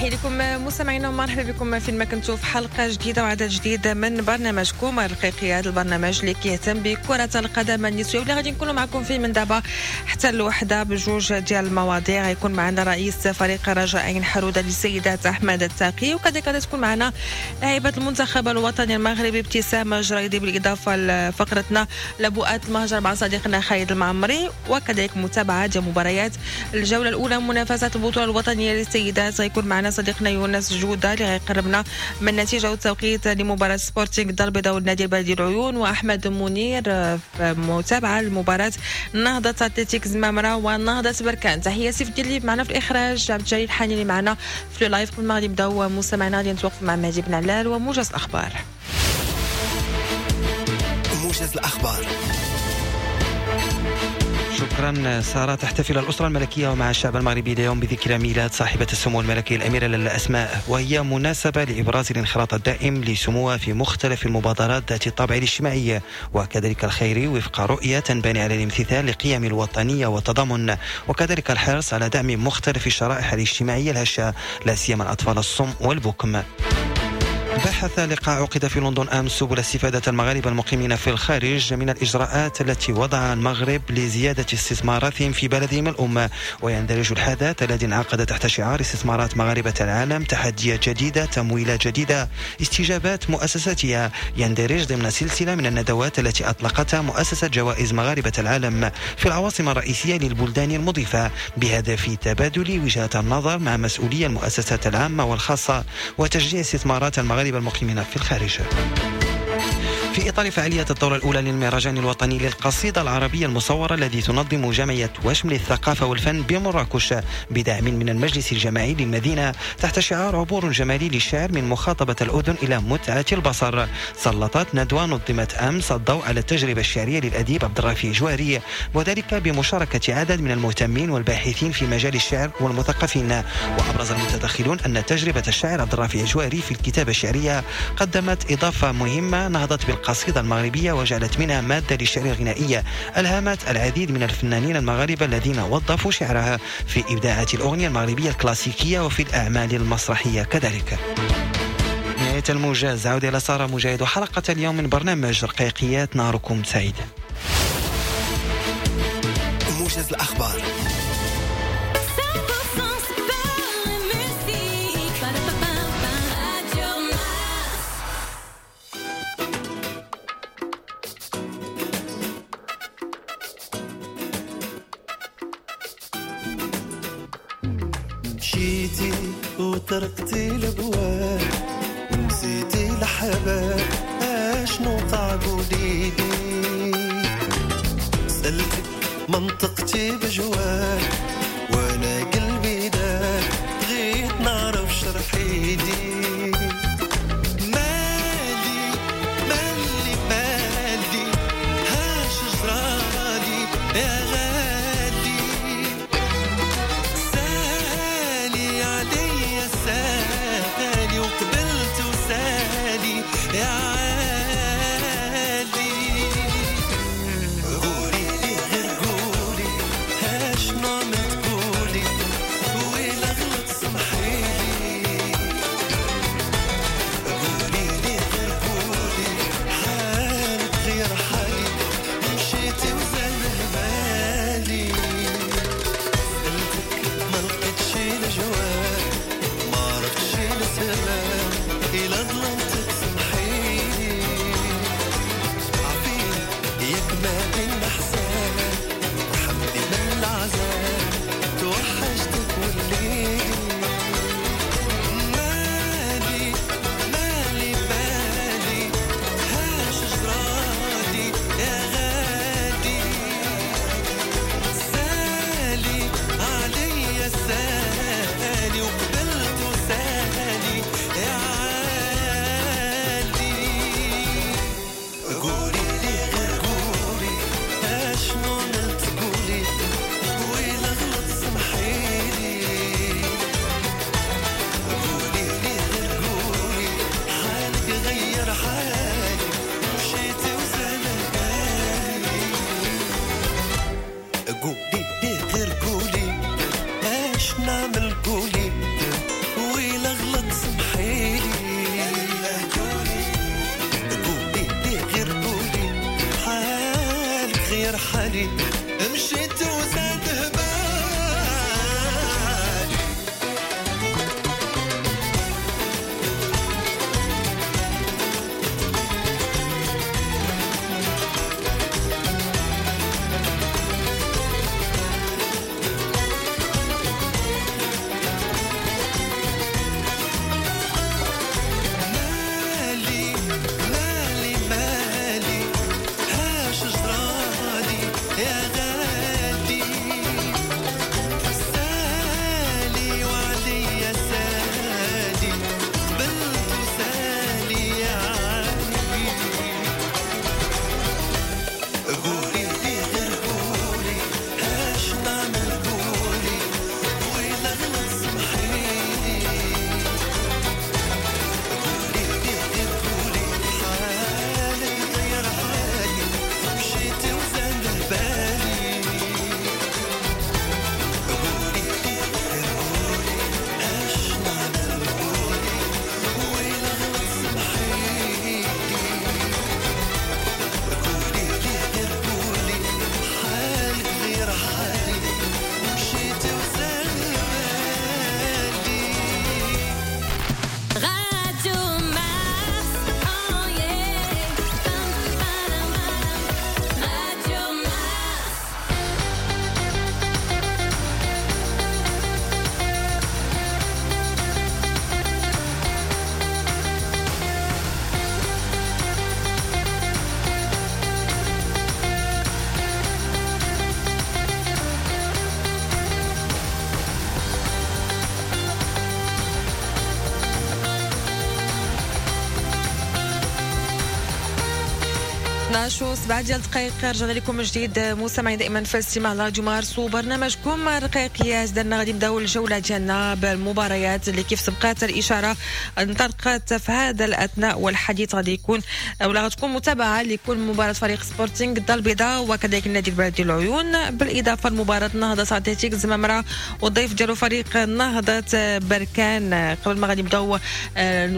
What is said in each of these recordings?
تحية لكم مستمعينا ومرحبا بكم فين ما كنتوا في حلقة جديدة وعدد جديد من برنامجكم الرقيقي، هذا البرنامج اللي كيهتم بكرة القدم النسوية واللي غادي نكونوا معكم فيه من دابا حتى الوحدة بجوج ديال المواضيع. غيكون معنا رئيس فريق رجاء عين حرودة للسيدات أحمد التاقي، وكذلك غادي تكون معنا لاعبة المنتخب الوطني المغربي ابتسام جريدي، بالإضافة لفقرتنا لبؤات المهجر مع صديقنا خالد المعمري، وكذلك متابعة ديال مباريات الجولة الأولى منافسات البطولة الوطنية للسيدات. غيكون معنا صديقنا يونس جودة اللي غيقربنا من النتيجة والتوقيت لمباراة سبورتينغ الدار البيضاء والنادي البلدي العيون، وأحمد منير في متابعة لمباراة نهضة أتلتيك زمامرة ونهضة بركان. تحية سيف الدين اللي معنا في الإخراج، عبد الجليل الحاني اللي معنا في ال live. قبل ما غادي نبداو مستمعينا غادي نتوقف مع مهدي بن علال وموجز الأخبار. موجز الأخبار. شكرا سارة. تحتفل الأسرة الملكية ومع الشعب المغربي اليوم بذكرى ميلاد صاحبة السمو الملكي الأميرة لاله أسماء، وهي مناسبة لإبراز الانخراط الدائم لسموها في مختلف المبادرات ذات الطابع الاجتماعي وكذلك الخيري، وفق رؤية تنبني على الامتثال لقيم الوطنية والتضامن، وكذلك الحرص على دعم مختلف الشرائح الاجتماعية الهشة، لا سيما الأطفال الصم والبكم. بحث لقاء عقد في لندن أمس سبل استفادة المغاربة المقيمين في الخارج من الإجراءات التي وضعها المغرب لزيادة استثماراتهم في بلدهم الأم، ويندرج الحدث الذي انعقد تحت شعار استثمارات مغاربة العالم تحديات جديدة، تمويلات جديدة، استجابات مؤسساتها، يندرج ضمن سلسلة من الندوات التي أطلقتها مؤسسة جوائز مغاربة العالم في العواصم الرئيسية للبلدان المضيفة، بهدف تبادل وجهات النظر مع مسؤولي المؤسسات العامة والخاصة وتشجيع استثمارات المغاربة المقيمين في الخارج. في إطار فعالية الدورة الأولى للمهرجان الوطني للقصيدة العربية المصورة الذي تنظم جمعية وشم للثقافة والفن بمراكش بدعم من المجلس الجماعي للمدينة تحت شعار عبور جمالي للشعر من مخاطبة الأذن إلى متعة البصر، سلطت ندوة نظمت أمس الضوء على التجربة الشعرية للأديب عبد الرافع جواري، وذلك بمشاركة عدد من المهتمين والباحثين في مجال الشعر والمثقفين. وأبرز المتدخلون أن تجربة الشاعر عبد الرافع جواري في الكتابة الشعرية قدمت إضافة مهمة نهضت بالقصيدة المغربية وجعلت منها مادة للشعر الغنائية ألهمت العديد من الفنانين المغاربة الذين وظفوا شعرها في إبداعات الأغنية المغربية الكلاسيكية وفي الأعمال المسرحية كذلك. نهاية الموجز، عودة إلى سارة مجاهد وحلقة اليوم من برنامج رقيقيات. نهاركم سعيد. موجز الأخبار. مشيتي وتركتي الابواب ونسيتي الحباب، اشنو وقع قوليلي؟ سألتك منطقتي بجواب وانا قلبي داب، بغيت نعرف شرحيلي. مالي مالي مالي هاش جرالي يا غالي، سالي علي سالي وقبلت وسالي يا عالي. قولي لي غير قولي هاشنو ما تقولي، ويلا غلط سمحيلي. قولي لي غير قولي حالك غير حالي، مشيتي وزال بالي. سألتك ما لقيتش الجواب، ما عرفتش السبب، إلا ظلمتك سمحيلي. عفيني ياك ما بينا حساب، رحمني من العذاب، توحشتك والليل. مالي مالي مالي هاش جرالي يا غالي، سالي علي سالي وقبلت وسالي يا عالي. قولي لي غير قولي اشنو نلت قولي، ويلا غلط سمحيلي. قولي لي غير قولي حالك غير حالي، مشيتي وزال بالي. قولي لي غير قولي اش نعمل قولي، ويلا غير حالي، مشيت وزاد هبالي. مالي مالي مالي هاش جرالي يا غالي، سالي وعليا سالي، قبلت وسالي يا علي. قولي لي غير قولي هاش نعمل قولي، وإلا غلط سمحيلي. قولي لي غير قولي حالك غير حالي، مشيت وزاد بالي. قولي لي غير قولي اش نعمل قولي، وإلا غلط سمحيلي. قولي لي غير قولي حالك غير حالي، مشيت وزاد بالي. Radio Mars, oh yeah. Pam, pam, Radio Mars. و 7 ديال الدقائق رجعنا لكم من جديد مستمعين دائما في الاستماع لراديو مارس وبرنامجكم رقيقيات. درنا غادي نبداو الجولة ديالنا بالمباريات اللي كيف سبقات الاشارة انطلقت في هذا الاثناء، والحديث غادي يكون ولا غتكون متابعه لكل مباراة فريق سبورتينغ الدار البيضاء وكذلك النادي البلدي العيون، بالاضافة لمباراة نهضة اتلتيك زمامرة والضيف ديالو فريق نهضة بركان. قبل ما غادي نبداو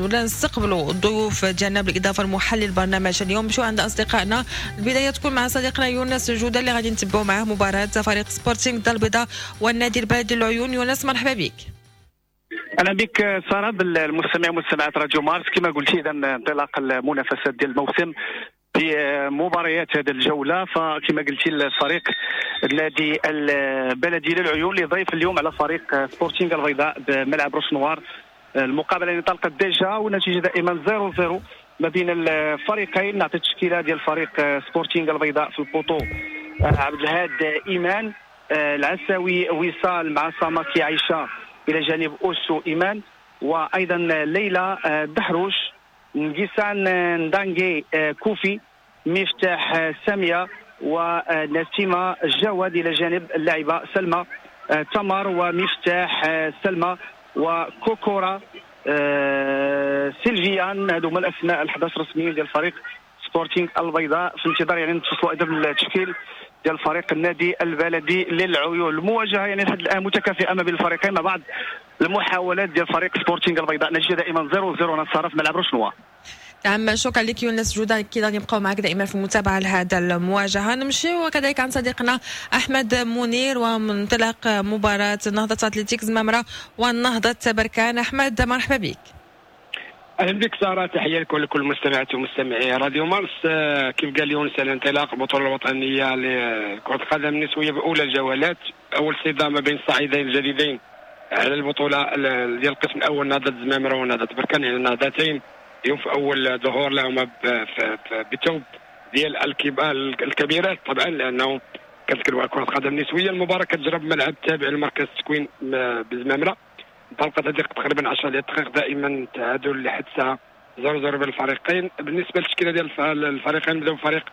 ولا نستقبلوا الضيوف ديالنا بالاضافة لمحلل البرنامج اليوم، نمشيو عند اصدقائنا. البداية تكون مع صديقنا يونس جوده اللي غادي نتبعوا معاه مباراة فريق سبورتينغ الدار البيضاء والنادي البلدي العيون. يونس مرحبا بك. اهلا بك ساره، بالمستمع ومستمعات راديو مارس. كما قلتي اذا انطلاق المنافسات ديال الموسم بمباريات هذه الجولة، فكما قلتي الفريق النادي البلدي للعيون اللي ضيف اليوم على فريق سبورتينغ البيضاء بملعب روشنوار. المقابلة اللي انطلقت déjà والنتيجة دائما 0-0 ما بين الفريقين. نعطي التشكيلة ديال فريق سبورتينغ البيضاء في ال poteau: عبد الهاد ايمان، العساوي وصال مع ساماكي عائشة الى جانب اوسو ايمان، وايضا ليلى دحروش، نجيسان ندانجي كوفي، مفتاح سامية، ونسيمه جواد الى جانب اللاعبه سلمى تمر ومفتاح سلمى وكوكورا سيلفيان. هذو هما الاسماء ال11 رسميين ديال فريق سبورتينغ البيضاء، في انتظار يعني نتصلوا ايضا بالتشكيل ديال فريق النادي البلدي للعيون. المواجهة يعني لحد الان متكافئة ما بين الفريقين مع بعض المحاولات ديال فريق سبورتينغ البيضاء. نتيجة دائما 0-0 نصارى في ملعب روشنوا. نعم شكرا لك يونس جوده، اكيد غادي نبقاو معك دائما في المتابعة لهذا المواجهة. نمشي وكذلك عن صديقنا احمد منير وانطلاق مباراة نهضة اتلتيك زمامرة والنهضه بركان. احمد مرحبا بك. اهلا بك ساره، تحية لك ولكل المستمعات ومستمعي راديو مارس. كيف قال يونس على انطلاق البطولة الوطنية لكرة القدم النسوية باولى الجولات، اول صدام ما بين الصعيدين الجديدين على البطولة ديال القسم الاول نهضة زمامرة ونهضه بركان، يعني النهضتين اليوم في اول ظهور لهما بثوب ديال الكبيرات طبعا، لانه كنتكلموا على كره القدم النسوية. المباراة كتجرى بملعب تابع لمركز التكوين بزمامره، انطلقت هذه تقريبا 10 ديال الدقائق، دائما تعادل لحد الساعة 0-0 بين الفريقين. بالنسبة للتشكيله ديال الفريقين، بداو فريق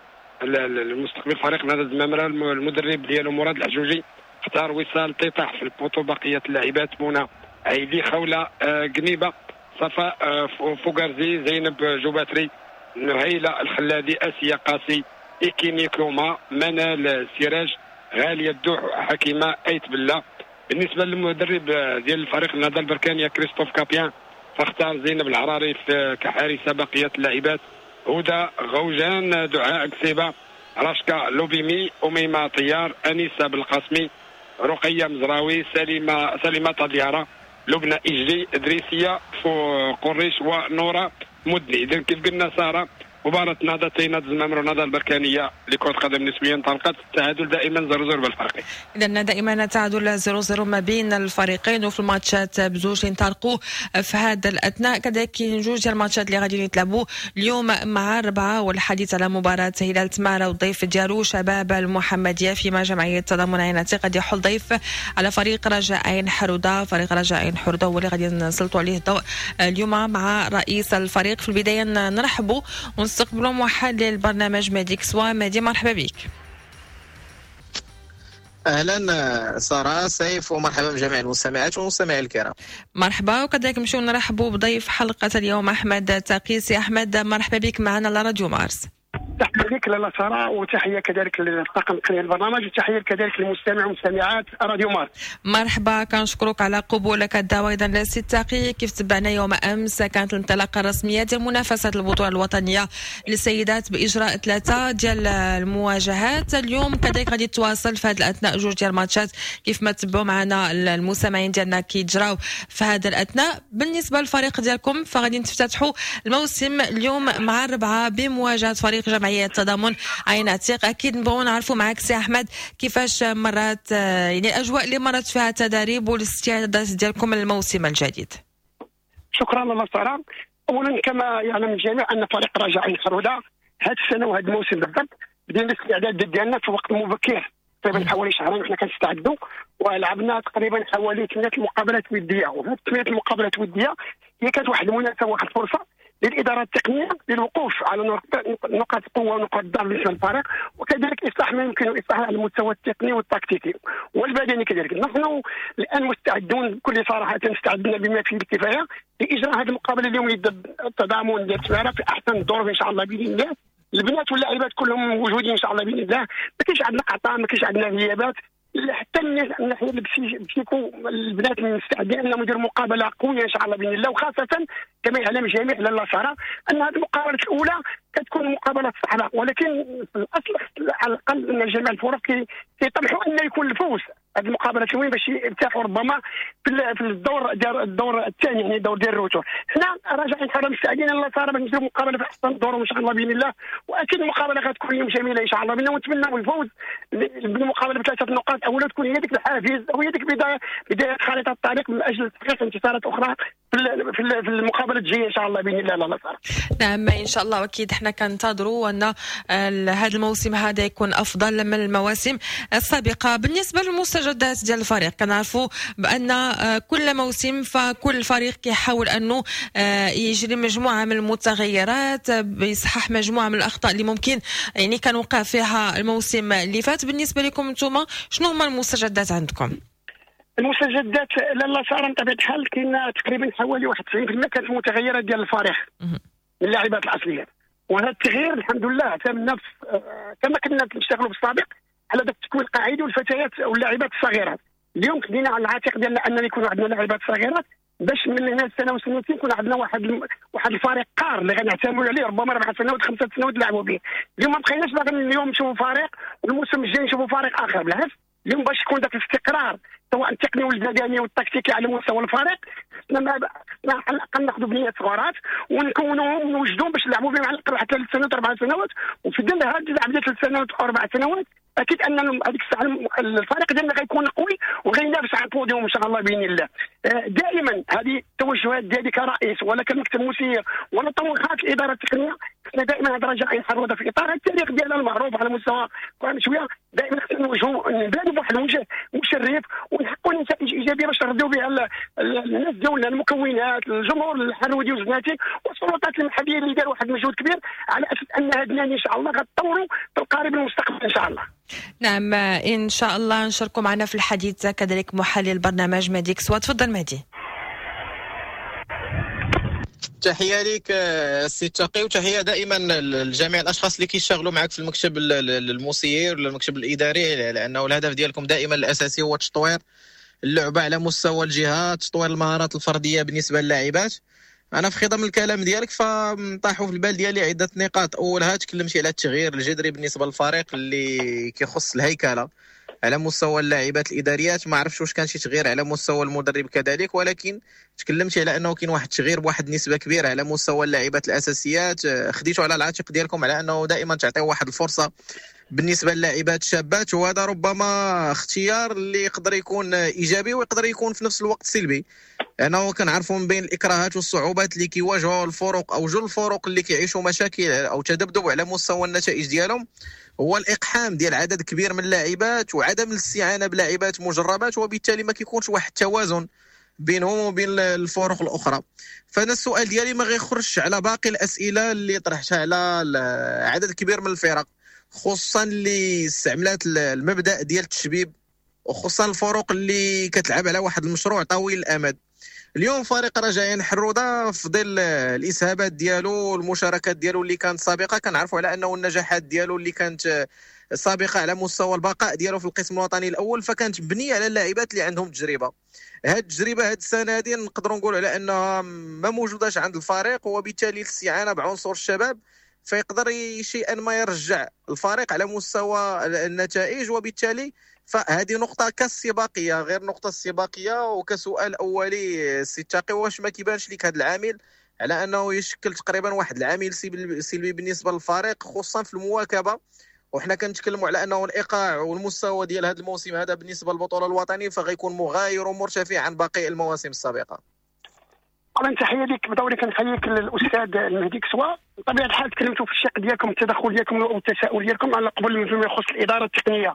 المستقبل فريق نهضة زمامرة، المدرب ديالو مراد الحجوجي اختار وصال تيطاح في ال poteau، بقية اللاعبات منى عيدي، خوله قنيبه، صفاء فوغارزي، زينب جوباتري، نهيلة الخلادي، اسيا قاسي، إيكيني كوما، منال سراج، غالية الدوح، حكيمة ايت بلا. بالنسبة للمدرب ديال الفريق النهضة البركانيه كريستوف كابيان، فاختار زينب العراري كحارسه، بقية اللاعبات هدى غوجان، دعاء كسيبه، راشكا لوبيمي، اميمة طيار، انيسة بالقاسمي، رقيه مزراوي، سليمة طدياره، لبنى اجلي، ادريسيه قريش، ونوره مدني. اذا كيف قلنا ساره، مباراة نهضتين، نهضة الزمامرة ونهضة البركانية لكرة القدم النسوية انطلقت، التعادل دائما 0-0 بالفريقين. إذا دائما تعادل 0-0 ما بين الفريقين، وفي الماتشات بزوج اللي انطلقوا في هذا الأثناء. كذلك كاين جوج ديال الماتشات اللي غادي يتلعبوا اليوم مع 4، والحديث على مباراة هلال تمارة والضيف ديالو شباب المحمدية، فيما جمعية تضامن عين عتيق غادي يحل ضيف على فريق رجاء عين حرودة. فريق رجاء عين حرودة هو اللي غادي نسلطوا عليه الضوء اليوم مع رئيس الفريق. في البداية نرحبوا ونستقبلوا محلل البرنامج مهدي كسوة. مهدي مرحبا بك. اهلا ساره سيف، ومرحبا بجميع المستمعات والمستمعين الكرام. مرحبا، وكذلك نمشيو نرحبوا بضيف حلقة اليوم احمد تقيسي. احمد مرحبا بك معنا على راديو مارس. تحية لك لاله ساره، وتحية كذلك للطاقم التقني البرنامج، وتحية كذلك للمستمع ومستمعات راديو مارس. مرحبا، كنشكرك على قبولك الدعوة. اذا لسي التقي، كيف تبعنا يوم امس كانت الانطلاقة الرسمية ديال منافسه البطولة الوطنية للسيدات باجراء 3 ديال المواجهات. اليوم كذلك غادي تواصل في هذا الاثناء جوج ديال الماتشات كيف ما تبعوا معنا المستمعين ديالنا كيجراو في هذا الاثناء. بالنسبة للفريق ديالكم فغادي تفتتحوا الموسم اليوم مع 4 بمواجهة فريق جمعية التضامن عين عتيق. اكيد نبغوا نعرفوا معك سي احمد كيفاش مرات، يعني الاجواء اللي مرت فيها التدريب والاستعدادات ديالكم للموسم الجديد. شكرا لاله ساره. اولا كما يعلم الجميع ان فريق رجاء عين حروده هذه السنة وهذا الموسم بالضبط بدينا الاستعداد ديالنا في وقت مبكر، تقريبا حوالي شهرين وحنا كنستعدوا، ولعبنا تقريبا حوالي 8 المقابلات وديه. وهذه 8 المقابلات الودية هي كانت واحد المناسبة واحد الفرصة للادارة التقنية للوقوف على نقاط القوة ونقاط الضعف بالنسبة للفريق، وكذلك اصلاح ما يمكن اصلاحه على المستوى التقني والتكتيكي والبدني كذلك. نحن الان مستعدون بكل صراحة، استعدنا بما فيه الكفاية لاجراء هذه المقابلة اليوم ضد التضامن ديال تمارة في احسن الظروف ان شاء الله باذن الله. البنات واللاعبات كلهم موجودين ان شاء الله باذن الله، ما كاينش عندنا قطع، ما كاينش عندنا غيابات، حتى من الناحية ال psycho البنات مستعدين انهم يديروا مقابله قوية ان شاء الله باذن الله. وخاصة كما يعلم الجميع لاله ساره ان هذه المقابلة الاولى كتكون مقابله صعبة، ولكن في الاصل على الاقل ان جميع الفرق كيطمحوا ان يكون الفوز هذه المقابلة الأولى باش يرتاحوا ربما في الدور ديال الدور الثاني، يعني الدور ديال ال retour. حنا رجاء عين حروده مستعدين لاله ساره باش نديروا مقابله في احسن الظروف ان شاء الله باذن الله، واكيد المقابلة غتكون اليوم جميلة ان شاء الله باذن الله، ونتمنوا الفوز بالمقابلة ب3 نقاط اولا تكون هي ديك الحافز او هي ديك بداية خريطة الطريق من اجل تحقيق انتصارات اخرى في المقابلة الجاية ان شاء الله باذن الله لاله ساره. نعم ان شاء الله، واكيد حنا كنتظروا ان هذا الموسم هذا يكون افضل من المواسم السابقة. بالنسبة للمستجدات ديال الفريق، كنعرفوا بان كل موسم فكل فريق كيحاول انه يجري مجموعة من المتغيرات، يصحح مجموعة من الاخطاء اللي ممكن يعني كان وقع فيها الموسم اللي فات. بالنسبة لكم انتم شنو هما المستجدات عندكم؟ المستجدات لاله ساره بطبيعة الحال كاين تقريبا حوالي 91% كانت المتغيرات ديال الفريق من اللاعبات الاصليات، وهذا التغيير الحمد لله تم نفس كما كنا نشتغلوا بالسابق على ذاك التكوين القاعدي والفتيات واللاعبات الصغيرات. اليوم خدينا على العاتق ديالنا اننا يكون عندنا لاعبات صغيرات باش من هنا سنة وسنتين يكون عندنا واحد الفريق قار اللي غنعتمدوا عليه ربما 4 سنوات 5 سنوات نلعبوا به. اليوم ما بقيناش باغيين اليوم نشوفوا فريق والموسم الجاي نشوفوا فريق اخر، بالعكس اليوم باش يكون ذاك الاستقرار سواء التقني والبدني والتكتيكي على مستوى الفريق، خصنا على الاقل ناخذوا بنيات صغارات ونكونوهم ونوجدوهم باش نلعبوا بهم على الاقل واحد 3 سنوات 4 سنوات، وفي ظل هذه اللعب 3 سنوات او 4 سنوات اكيد ان هذيك الساعة الفريق ديالنا غيكون قوي وغينافس على البوديوم ان شاء الله باذن الله. دائما هذه التوجهات ديالي كرئيس ولا كمكتب مسير ولا طموحات الادارة التقنية، خصنا دائما هذا رجاء عين حروده في اطار التاريخ ديالنا المعروف على مستوى كره شوية، دائما خصنا نوجهوا نبانوا بواحد الوجه مشرف ونحققوا نتائج ايجابية باش نرضيو بها الناس ديالنا، المكونات، الجمهور الحرودي والزناتي والسلطات المحلية اللي داروا واحد المجهود كبير على اساس ان هذا النادي ان شاء الله غتطوروا في القريب المستقبل ان شاء الله. نعم ان شاء الله. نشاركوا معنا في الحديث كذلك محلل البرنامج مهدي كسوة. تفضل مهدي. تحية لك السي تقي، وتحية دائما لجميع الاشخاص اللي كيشتغلوا معك في المكتب المسير ولا المكتب الاداري، لانه الهدف ديالكم دائما الاساسي هو تطوير اللعبة على مستوى الجهات، تطوير المهارات الفردية بالنسبة للاعبات. انا في خضم الكلام ديالك فطاحوا في البال ديالي عده نقاط. اولها تكلمتي على التغيير الجذري بالنسبة للفريق اللي كيخص الهيكله على مستوى اللاعبات الاداريات، ما عرفتش واش كان شي تغيير على مستوى المدرب كذلك، ولكن تكلمتي على انه كاين واحد التغيير بواحد النسبة كبيرة على مستوى اللاعبات الاساسيات. خديتوا على العاتق ديالكم على انه دائما تعطيو واحد الفرصة بالنسبة للاعبات الشابات، وهذا ربما اختيار اللي يقدر يكون ايجابي ويقدر يكون في نفس الوقت سلبي، لانه كنعرفوا من بين الاكراهات والصعوبات اللي كيواجهوا الفرق او جل الفرق اللي كيعيشوا مشاكل او تذبذب على مستوى النتائج ديالهم هو الاقحام ديال عدد كبير من اللاعبات وعدم الاستعانة بلاعبات مجربات، وبالتالي ما كيكونش واحد التوازن بينهم وبين الفرق الاخرى. فانا السؤال ديالي ما غيخرجش على باقي الاسئلة اللي طرحتها على عدد كبير من الفرق، خصوصا اللي استعملات المبدا ديال التشبيب، وخصوصا الفرق اللي كتلعب على واحد المشروع طويل الامد. اليوم فريق رجاء حروده في ظل الاسهابات ديالو والمشاركات ديالو اللي كانت سابقه، كنعرفوا على انه النجاحات ديالو اللي كانت سابقه على مستوى البقاء ديالو في القسم الوطني الاول فكانت مبنية على اللاعبات اللي عندهم تجربه. هاد التجربة هاد السنة هذه نقدروا نقولوا على انها ما موجوداش عند الفريق، وبالتالي الاستعانة بعنصر الشباب فيقدر شيئا ما يرجع الفريق على مستوى النتائج، وبالتالي فهذه نقطة كالسباقية غير نقطة السباقية. وكسؤال أولي سي تاقي، واش ما كيبانش لك هذا العامل على أنه يشكل تقريبا واحد العامل سلبي بالنسبة للفريق خصوصا في المواكبة؟ وحنا كنتكلموا على أنه الإيقاع والمستوى ديال هذا الموسم هذا بالنسبة للبطولة الوطنية فغيكون مغاير ومرتفع عن باقي المواسم السابقة. طبعا تحية لك، بدوري كنحييك للاستاذ المهدي كسوة. بطبيعة الحال تكلمتوا في الشق ديالكم، التدخل ديالكم والتساؤل ديالكم على قبل فيما يخص الادارة التقنية.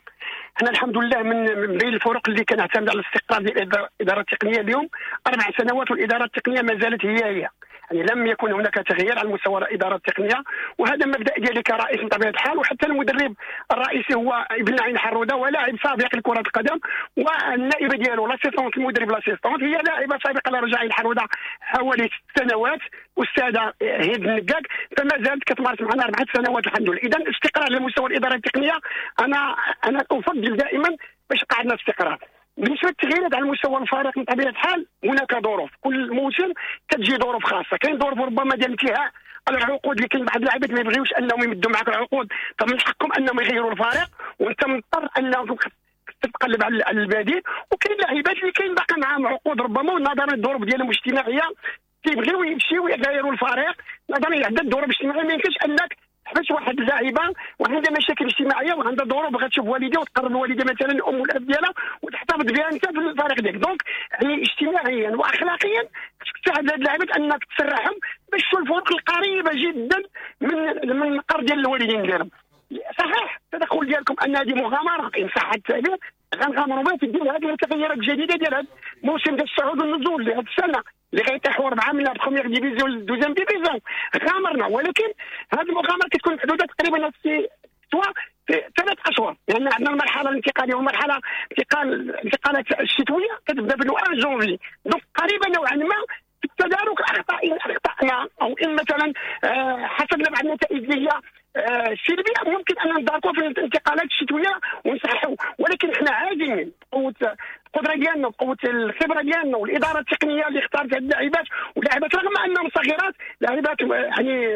حنا الحمد لله من بين الفرق اللي كنعتمد على الاستقرار ديال الادارة التقنية. اليوم 4 سنوات والادارة التقنية ما زالت هي هي، يعني لم يكن هناك تغيير على مستوى الادارة التقنية، وهذا مبدا ديالي كرئيس بطبيعة الحال. وحتى المدرب الرئيسي هو ابن عين حروده ولاعب سابق لكرة القدم، والنائبه ديالو l'assistante المدرب l'assistante هي لاعبه سابقه لرجاء عين حروده حوالي 6 سنوات، استاذه هند النقاق، فما زالت كتمارس معنا 4 سنوات الحمد لله. اذا الاستقرار على مستوى الادارة التقنية انا افضل دائما باش قعدنا استقرار. بالنسبة للتغييرات على مستوى الفريق من طبيعة الحال هناك ظروف، كل موسم كتجي ظروف خاصة، كاين ظروف ربما ديال انتهاء العقود اللي كاين بعض اللاعبات ما يبغيوش انهم يمدوا معك العقود، فمن حقهم انهم يغيروا الفريق وانت مضطر انك تتقلب على البديل. وكاين لاعبات اللي كاين باقي معاهم عقود ربما ونظرا للظروف ديالهم الاجتماعية كيبغيو يمشيو يغيروا الفريق، نظرا لعدة ظروف اجتماعية. ما يمكنش انك تحبس واحد اللاعبه وعندها مشاكل اجتماعية وعندها ظروف بغات تشوف والديها وتقرب الوالدة مثلا الام والاب ديالها وتحتفظ بها انت في الفريق ديالك. donc يعني اجتماعيا واخلاقيا خصك تساعد هاد اللاعبات انك تسرحهم باش تشوف الفرق القريبة جدا من المقر ديال الوالدين ديالهم. صحيح التدخل ديالكم ان هذه مغامرة ان صح التعبير، غنغامروا بها في ديال هذه التغييرات الجديدة ديال هذا الموسم ديال الصعود والنزول لهذه السنة اللي غيطيحوا 4 من la première division لل deuxième division. غامرنا، ولكن هذه المغامرة كتكون محدودة تقريبا في 3 اشهر، لان عندنا المرحلة الانتقالية والمرحلة الانتقالات الشتوية كتبدا في 1 janvier، donc قريبه نوعا ما في التدارك الاخطاء ان اخطانا او ان مثلا حصلنا بعض النتائج اللي هي سلبية ممكن ان نداركوا في الانتقالات الشتوية ونصححوا. ولكن احنا عازمين بقوة القدرة ديالنا وبقوة الخبرة ديالنا والادارة التقنية اللي اختارت هذه اللاعبات، واللاعبات رغم انهم صغيرات لاعبات يعني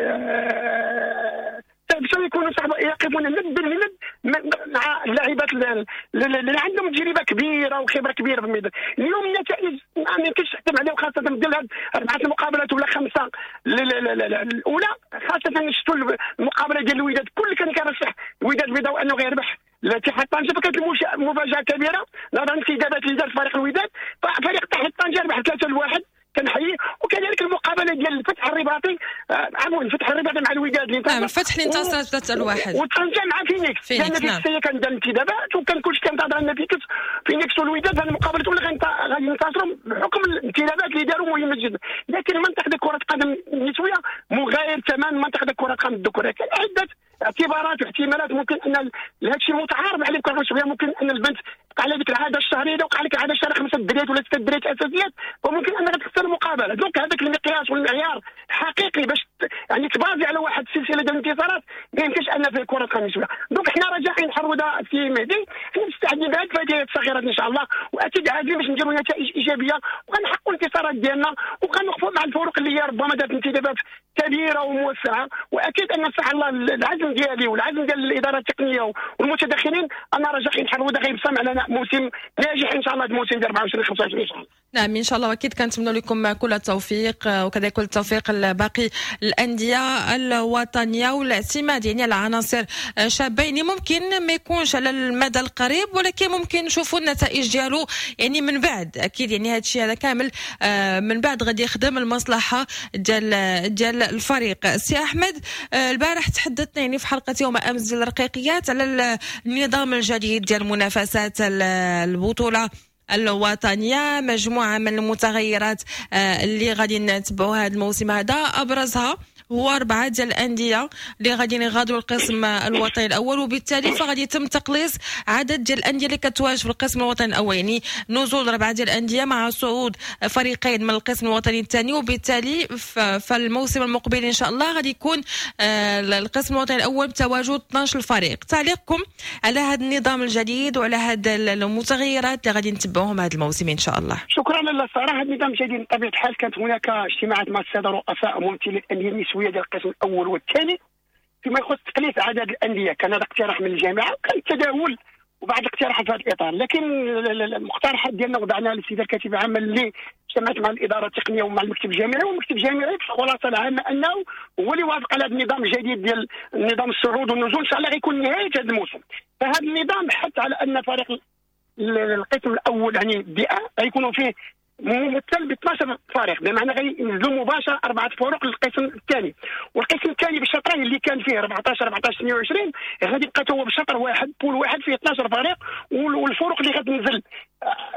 باش يكونوا يقفون ند بالند مع اللاعبات اللي عندهم تجربه كبيرة وخبره كبيرة في الميدان. اليوم النتائج ما يمكنش تحكم عليها، وخاصة ديال هاد 4 المقابلات ولا 5 الاولى، خاصة شفتوا المقابلة ديال الوداد كل كان كيرشح الوداد البيضاوي انه غيربح الاتحاد طنجه، فكانت مفاجاة كبيرة نظرا لانتدابات اللي دار فريق الوداد، ففريق اتحاد طنجه ربح 3-1 كنحييه. وكذلك المقابلة ديال الفتح الرباطي، عفوا الفتح الرباطي مع الوداد اللي نعم الفتح اللي انتصر 3-1 وطنجه مع فينيكس، لان فينيكس كان دار انتدابات وكان كلشي كينتظر ان فينيكس والوداد هذه المقابلة الاولى غادي ينتصروا بحكم الانتدابات اللي داروا مهمة جدا. لكن المنطق ديال كره القدم النسوية مغاير تماما منطق ديال كره القدم الذكورية، كاين عده اعتبارات واحتمالات ممكن ان هذا الشيء متعارف عليه بكره الشباب، ممكن ان البنت تبقى على ديك العادة الشهرية، اذا وقع لك العادة الشهرية 5 دريات ولا 6 دريات اساسيات فممكن انك تخسر المقابلة. donc هذاك المقياس والمعيار الحقيقي باش يعني تبازي على واحد السلسلة ديال الانتصارات ما يمكنش ان في كره القدم النسوية. donc حنا رجاء عين حروده سي مهدي، حنا مستعدين بهذه الفئات الصغيرات ان شاء الله، واكيد عازمين باش نديروا نتائج ايجابية وغنحققوا الانتصارات ديالنا وغنوقفوا مع الفرق اللي هي ربما دارت انتدابات كبيرة وموسعه. واكيد ان صح الله العزم ديالي والعزم ديال الادارة التقنية والمتدخلين ان رجاء عين حروده غيبصم على موسم ناجح ان شاء الله، الموسم ديال 24 25 ان شاء الله. نعم ان شاء الله، واكيد كنتمنى لكم كل التوفيق وكذلك كل التوفيق لباقي الاندية الوطنية، والاعتماد يعني على عناصر شابه يعني ممكن ما يكونش على المدى القريب، ولكن ممكن نشوفوا النتائج ديالو يعني من بعد. اكيد يعني هذا الشيء هذا كامل من بعد غادي يخدم المصلحة ديال الفريق. سي احمد، البارح تحدثنا يعني في حلقة يوم امس ديال الرقيقيات على النظام الجديد ديال منافسات البطولة الوطنية، مجموعة من المتغيرات اللي غادي نتبعوها هذا الموسم هذا، ابرزها هو 4 ديال الاندية اللي غادي يغادروا القسم الوطني الاول، وبالتالي فغادي يتم تقليص عدد ديال الاندية اللي كتواجد في القسم الوطني الاول، يعني نزول 4 ديال الاندية مع صعود فريقين من القسم الوطني الثاني، وبالتالي فالموسم المقبل ان شاء الله غادي يكون القسم الوطني الاول بتواجد 12 فريق. تعليقكم على هذا النظام الجديد وعلى هذه المتغيرات اللي غادي نتبعوهم هذا الموسم ان شاء الله؟ شكرا لاله ساره. هذا النظام الجديد بطبيعة الحال كانت هناك اجتماعات مع السادة رؤساء وممثلي الاندية النسوية ديال القسم الاول والثاني فيما يخص تقليص عدد الاندية. كان هذا اقتراح من الجامعة وكان التداول وبعض الاقتراحات في هذا الاطار، لكن المقترحات ديالنا وضعناها للسيدة الكاتبة العامة اللي اجتمعت مع الادارة التقنية ومع المكتب الجامعي، والمكتب الجامعي في الخلاصة العامة انه هو اللي وافق على هذا النظام الجديد ديال نظام الصعود والنزول، ان شاء الله غيكون نهاية هذا الموسم. فهذا النظام حث على ان فريق القسم الاول يعني D1 غيكونوا فيه ممثل ب 12 فريق، بمعنى غينزلوا مباشرة 4 فرق للقسم الثاني، والقسم الثاني بالشطرين اللي كان فيه 14 14 28 غادي يبقى هو بشطر واحد، poule واحد فيه 12 فريق، والفرق اللي غتنزل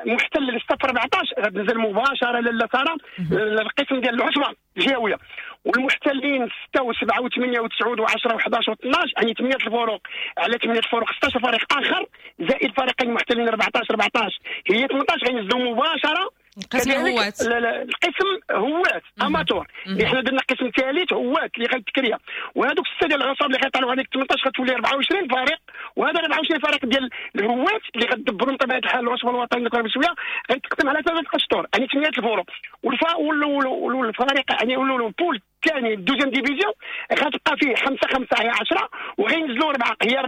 محتل للصف 14 غتنزل مباشرة لاله ساره للقسم ديال العصبة الجهوية، والمحتلين 6 و7 و8 و9 و10 و11 و12 يعني 8 الفرق على 8 الفرق 16 فريق اخر زائد فريقين محتلين 14 14 هي 18 غينزلوا مباشرة القسم هواة، القسم هواة amateur. حنا درنا قسم ثالث هواة اللي غيتكريا، وهذوك الستة ديال العصاب اللي غيطلعوا عليك 18 غتولي 24 فريق، وهذا 24 فريق ديال الهواة اللي غتدبروا بطبيعة الحال العصبة الوطنية للكرة النسوية غيتقسم على 3 اشطر يعني 8 الفرق، والفريق يعني ال poule الثاني ال deuxième division غتبقى فيه 5 5 هي 10، وغينزلوا 4 هي 14،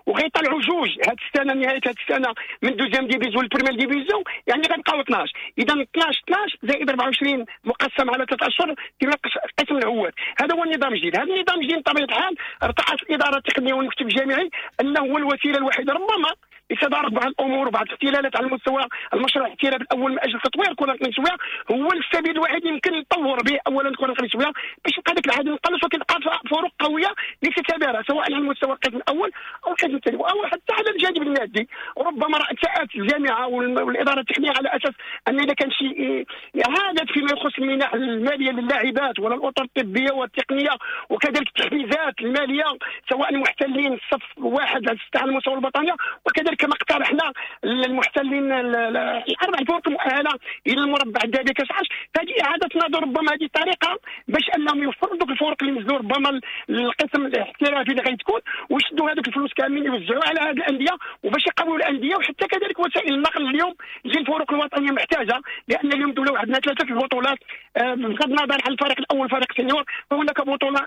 وغيطلعوا جوج هاد السنة نهاية هاد السنة من deuxième division لل première division، يعني غنبقاو 12. اذا 12 12 زائد 24 مقسم على 3 اشهر كما قسم الهواة. هذا هو النظام الجديد. هذا النظام الجديد بطبيعة الحال ارتأت الادارة التقنية والمكتب الجامعي انه هو الوسيلة الوحيدة ربما لتدارك بعض الامور وبعض الاختلالات على المستوى المشروع الاحتراف الاول من اجل تطوير كره النسوية، هو السبيل الوحيد يمكن نطور به اولا كره النسوية باش يبقى ذاك العدد نقلص وكتبقى فروق قوية لتتبارى سواء على المستوى القسم الاول او القسم الثاني او حتى على الجانب المادي. ربما ارتأت الجامعة والادارة التقنية على اساس ان اذا كان شي اعاده فيما يخص المنح المالية للاعبات ولا الاطر الطبية والتقنية وكذلك التحفيزات المالية سواء المحتلين الصف واحد على 6 على المستوى الوطني، وكذلك كما اقترحنا المحتلين الاربع الفرق المؤهله الى المربع الذهبي كاس العرش. فهذه اعاده نظر ربما هذه الطريقة باش انهم يوفروا دوك الفرق اللي نزلوا ربما القسم الاحترافي اللي غيتكون ويشدوا هذوك الفلوس كاملين يوزعوها على هذه الاندية وباش يقويوا الاندية، وحتى كذلك وسائل النقل اليوم اللي الفرق الوطنية محتاجه، لان اليوم دوله عندنا 3 البطولات بغض النظر عن الفريق الاول فريق senior، فهناك بطوله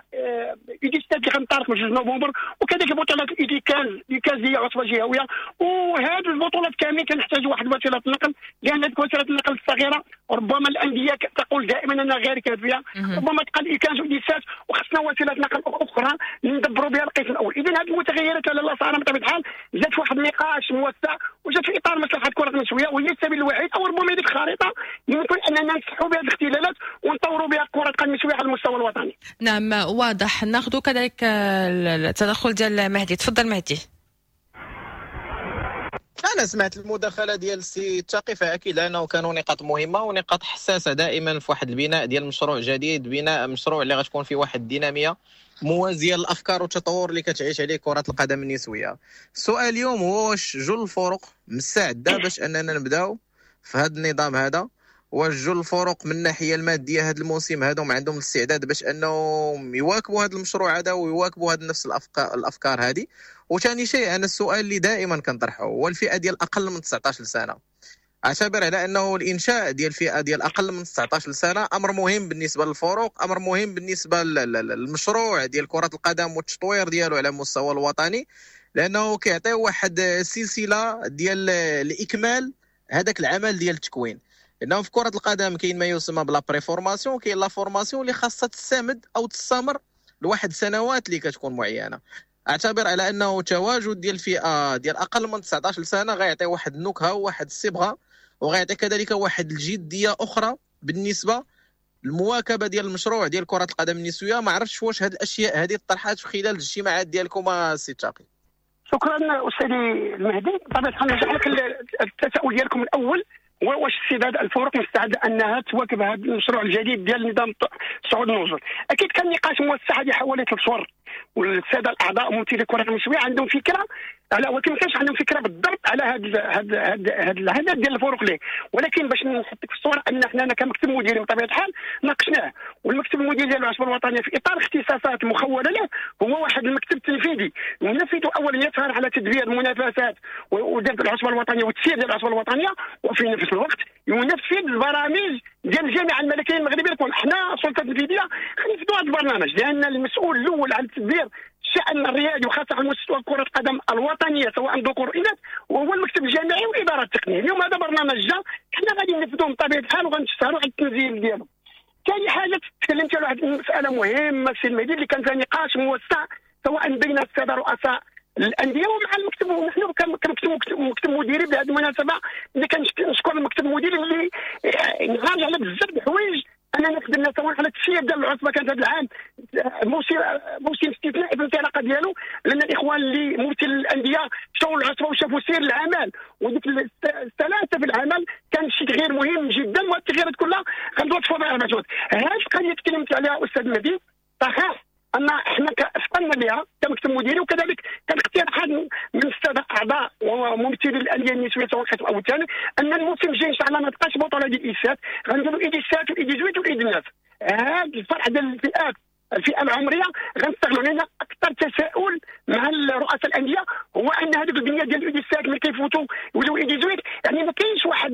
U dix-sept اللي غنطلق من 2 نوفمبر، وكذلك بطوله U quinze هي عصبه جهويه، وهذه البطولات كاملين كنحتاجوا واحد وسيلة النقل، لان هذيك وسيلة النقل الصغيرة ربما الاندية تقول دائما انها غير كافيه، ربما تقال U quinze و dix-sept وخصنا وسيلة نقل اخرى ندبروا بها القسم الاول. اذا هذه المتغيرات لاله ساره بطبيعة الحال جات في واحد النقاش موسع وجات في اطار مصلحة كره النسوية، وهي السبيل الوحيد او ربما هذيك الخريطة يمكن اننا نصحوا بها الاختلالات ونطوروا بها كره القدم النسوية على المستوى الوطني. نعم واضح. ناخذ كذلك التدخل ديال مهدي، تفضل مهدي. انا سمعت المداخلة ديال السي التقي، فاكيد انه كانوا نقاط مهمة ونقاط حساسة دائما في واحد البناء ديال مشروع جديد، بناء مشروع اللي غتكون فيه واحد الديناميه موازية للافكار والتطور اللي كتعيش عليه كره القدم النسوية. السؤال اليوم هو واش جل الفرق مستعدة باش اننا نبداو في هذا النظام هذا، واش جل الفرق من الناحية المادية هذا الموسم هذوم عندهم الاستعداد باش انهم يواكبوا هذا المشروع هذا ويواكبوا هذا نفس الافكار هذه. وثاني شيء انا السؤال اللي دائما كنطرحه هو الفئة ديال اقل من 19 سنة. اعتبر على انه الانشاء ديال الفئة ديال اقل من 19 سنة امر مهم بالنسبة للفرق، امر مهم بالنسبة للمشروع ديال كره القدم والتطوير ديالو على المستوى الوطني، لانه كيعطي واحد السلسلة ديال الاكمال هذاك العمل ديال التكوين. لانه في كره القدم كاين ما يسمى ب la préformation، كاين la formation اللي خاصها تستمد او تستمر لواحد سنوات اللي كتكون معينة. اعتبر على انه تواجد ديال الفئة ديال اقل من 19 سنة غيعطي واحد النكهة وواحد الصبغه، وغيعطي كذلك واحد الجدية اخرى بالنسبة للمواكبه ديال المشروع ديال كره القدم النسوية. ما عرفتش واش هذه الاشياء هذه طرحات في خلال الاجتماعات ديالكم سي تاقي. شكرا استاذي المهدي. بطبيعة الحال نرجع لك التساؤل ديالكم الاول، واش استعداد الفرق مستعدة انها تواكب هذا المشروع الجديد ديال نظام صعود النزول؟ اكيد كان نقاش موسع هذه حوالي 3 شهور، والسادة الاعضاء وممثلي الكره النسوية عندهم فكرة على، ولكن ما كانش عندهم فكرة بالضبط على هذا العدد ديال الفرق ليه. ولكن باش نحطك في الصورة ان حنا كمكتب مديري بطبيعة الحال ناقشناه، والمكتب المديري ديال العصبة الوطنية في اطار اختصاصات مخوله له هو واحد المكتب التنفيذي ينفذ اولا يسهر على تدبير المنافسات وديال العصبة الوطنية والتسيير ديال العصبة الوطنية، وفي نفس الوقت ينفذ البرامج ديال الجامعة الملكية المغربية. حنا السلطة التنفيذية خنفذوا هذا البرنامج، لان المسؤول الاول على التدبير الشأن الرياضي وخاصة على مستوى كرة القدم الوطنية سواء ذكور وإناث وهو المكتب الجامعي والإدارة التقنية. اليوم هذا برنامج جا حنا غادي ننفذوه بطبيعة الحال وغنشتغلوا على التنزيل ديالو. ثاني حاجة تكلمت على واحد المسألة مهمة سي المهدي اللي كان فيها نقاش موسع سواء بين السادة رؤساء الأندية ومع المكتب، ونحن كمكتب مكتب مديري بهذه المناسبة اللي كنشكر المكتب المديري اللي انغاج على بزاف د الحوايج اننا خدمنا سواء على التسيير ديال العصبة. كانت هذا العام موسم استثنائي في الانطلاقة ديالو، لان الاخوان اللي ممثل الاندية مشاو للعصبه وشافوا سير العمل وديك السلاسة في العمل، كان شي تغيير مهم جدا، والتغييرات كلها غنوصفوا بها مجهود. هذه القضية تكلمت عليها استاذ مهدي، صحيح ان احنا افطنا بها كمكتب مديري، وكذلك كان اقتراحات من السادة اعضاء وممثلي الاندية النسوية سواء القسم او الثاني ان الموسم الجاي ان شاء الله ما تبقاش بطوله ديال ال U sept، غنديروا U dix-sept وال U dix-huit وال U dix-neuf. هذا الفرع ديال الفئات الفئة العمرية غنستغلوا، لان اكثر تساؤل مع رؤساء الاندية هو ان هذوك البنية ديال ال U dix-sept ملي كيفوتوا يوليو U dix-huit، يعني ما كاينش واحد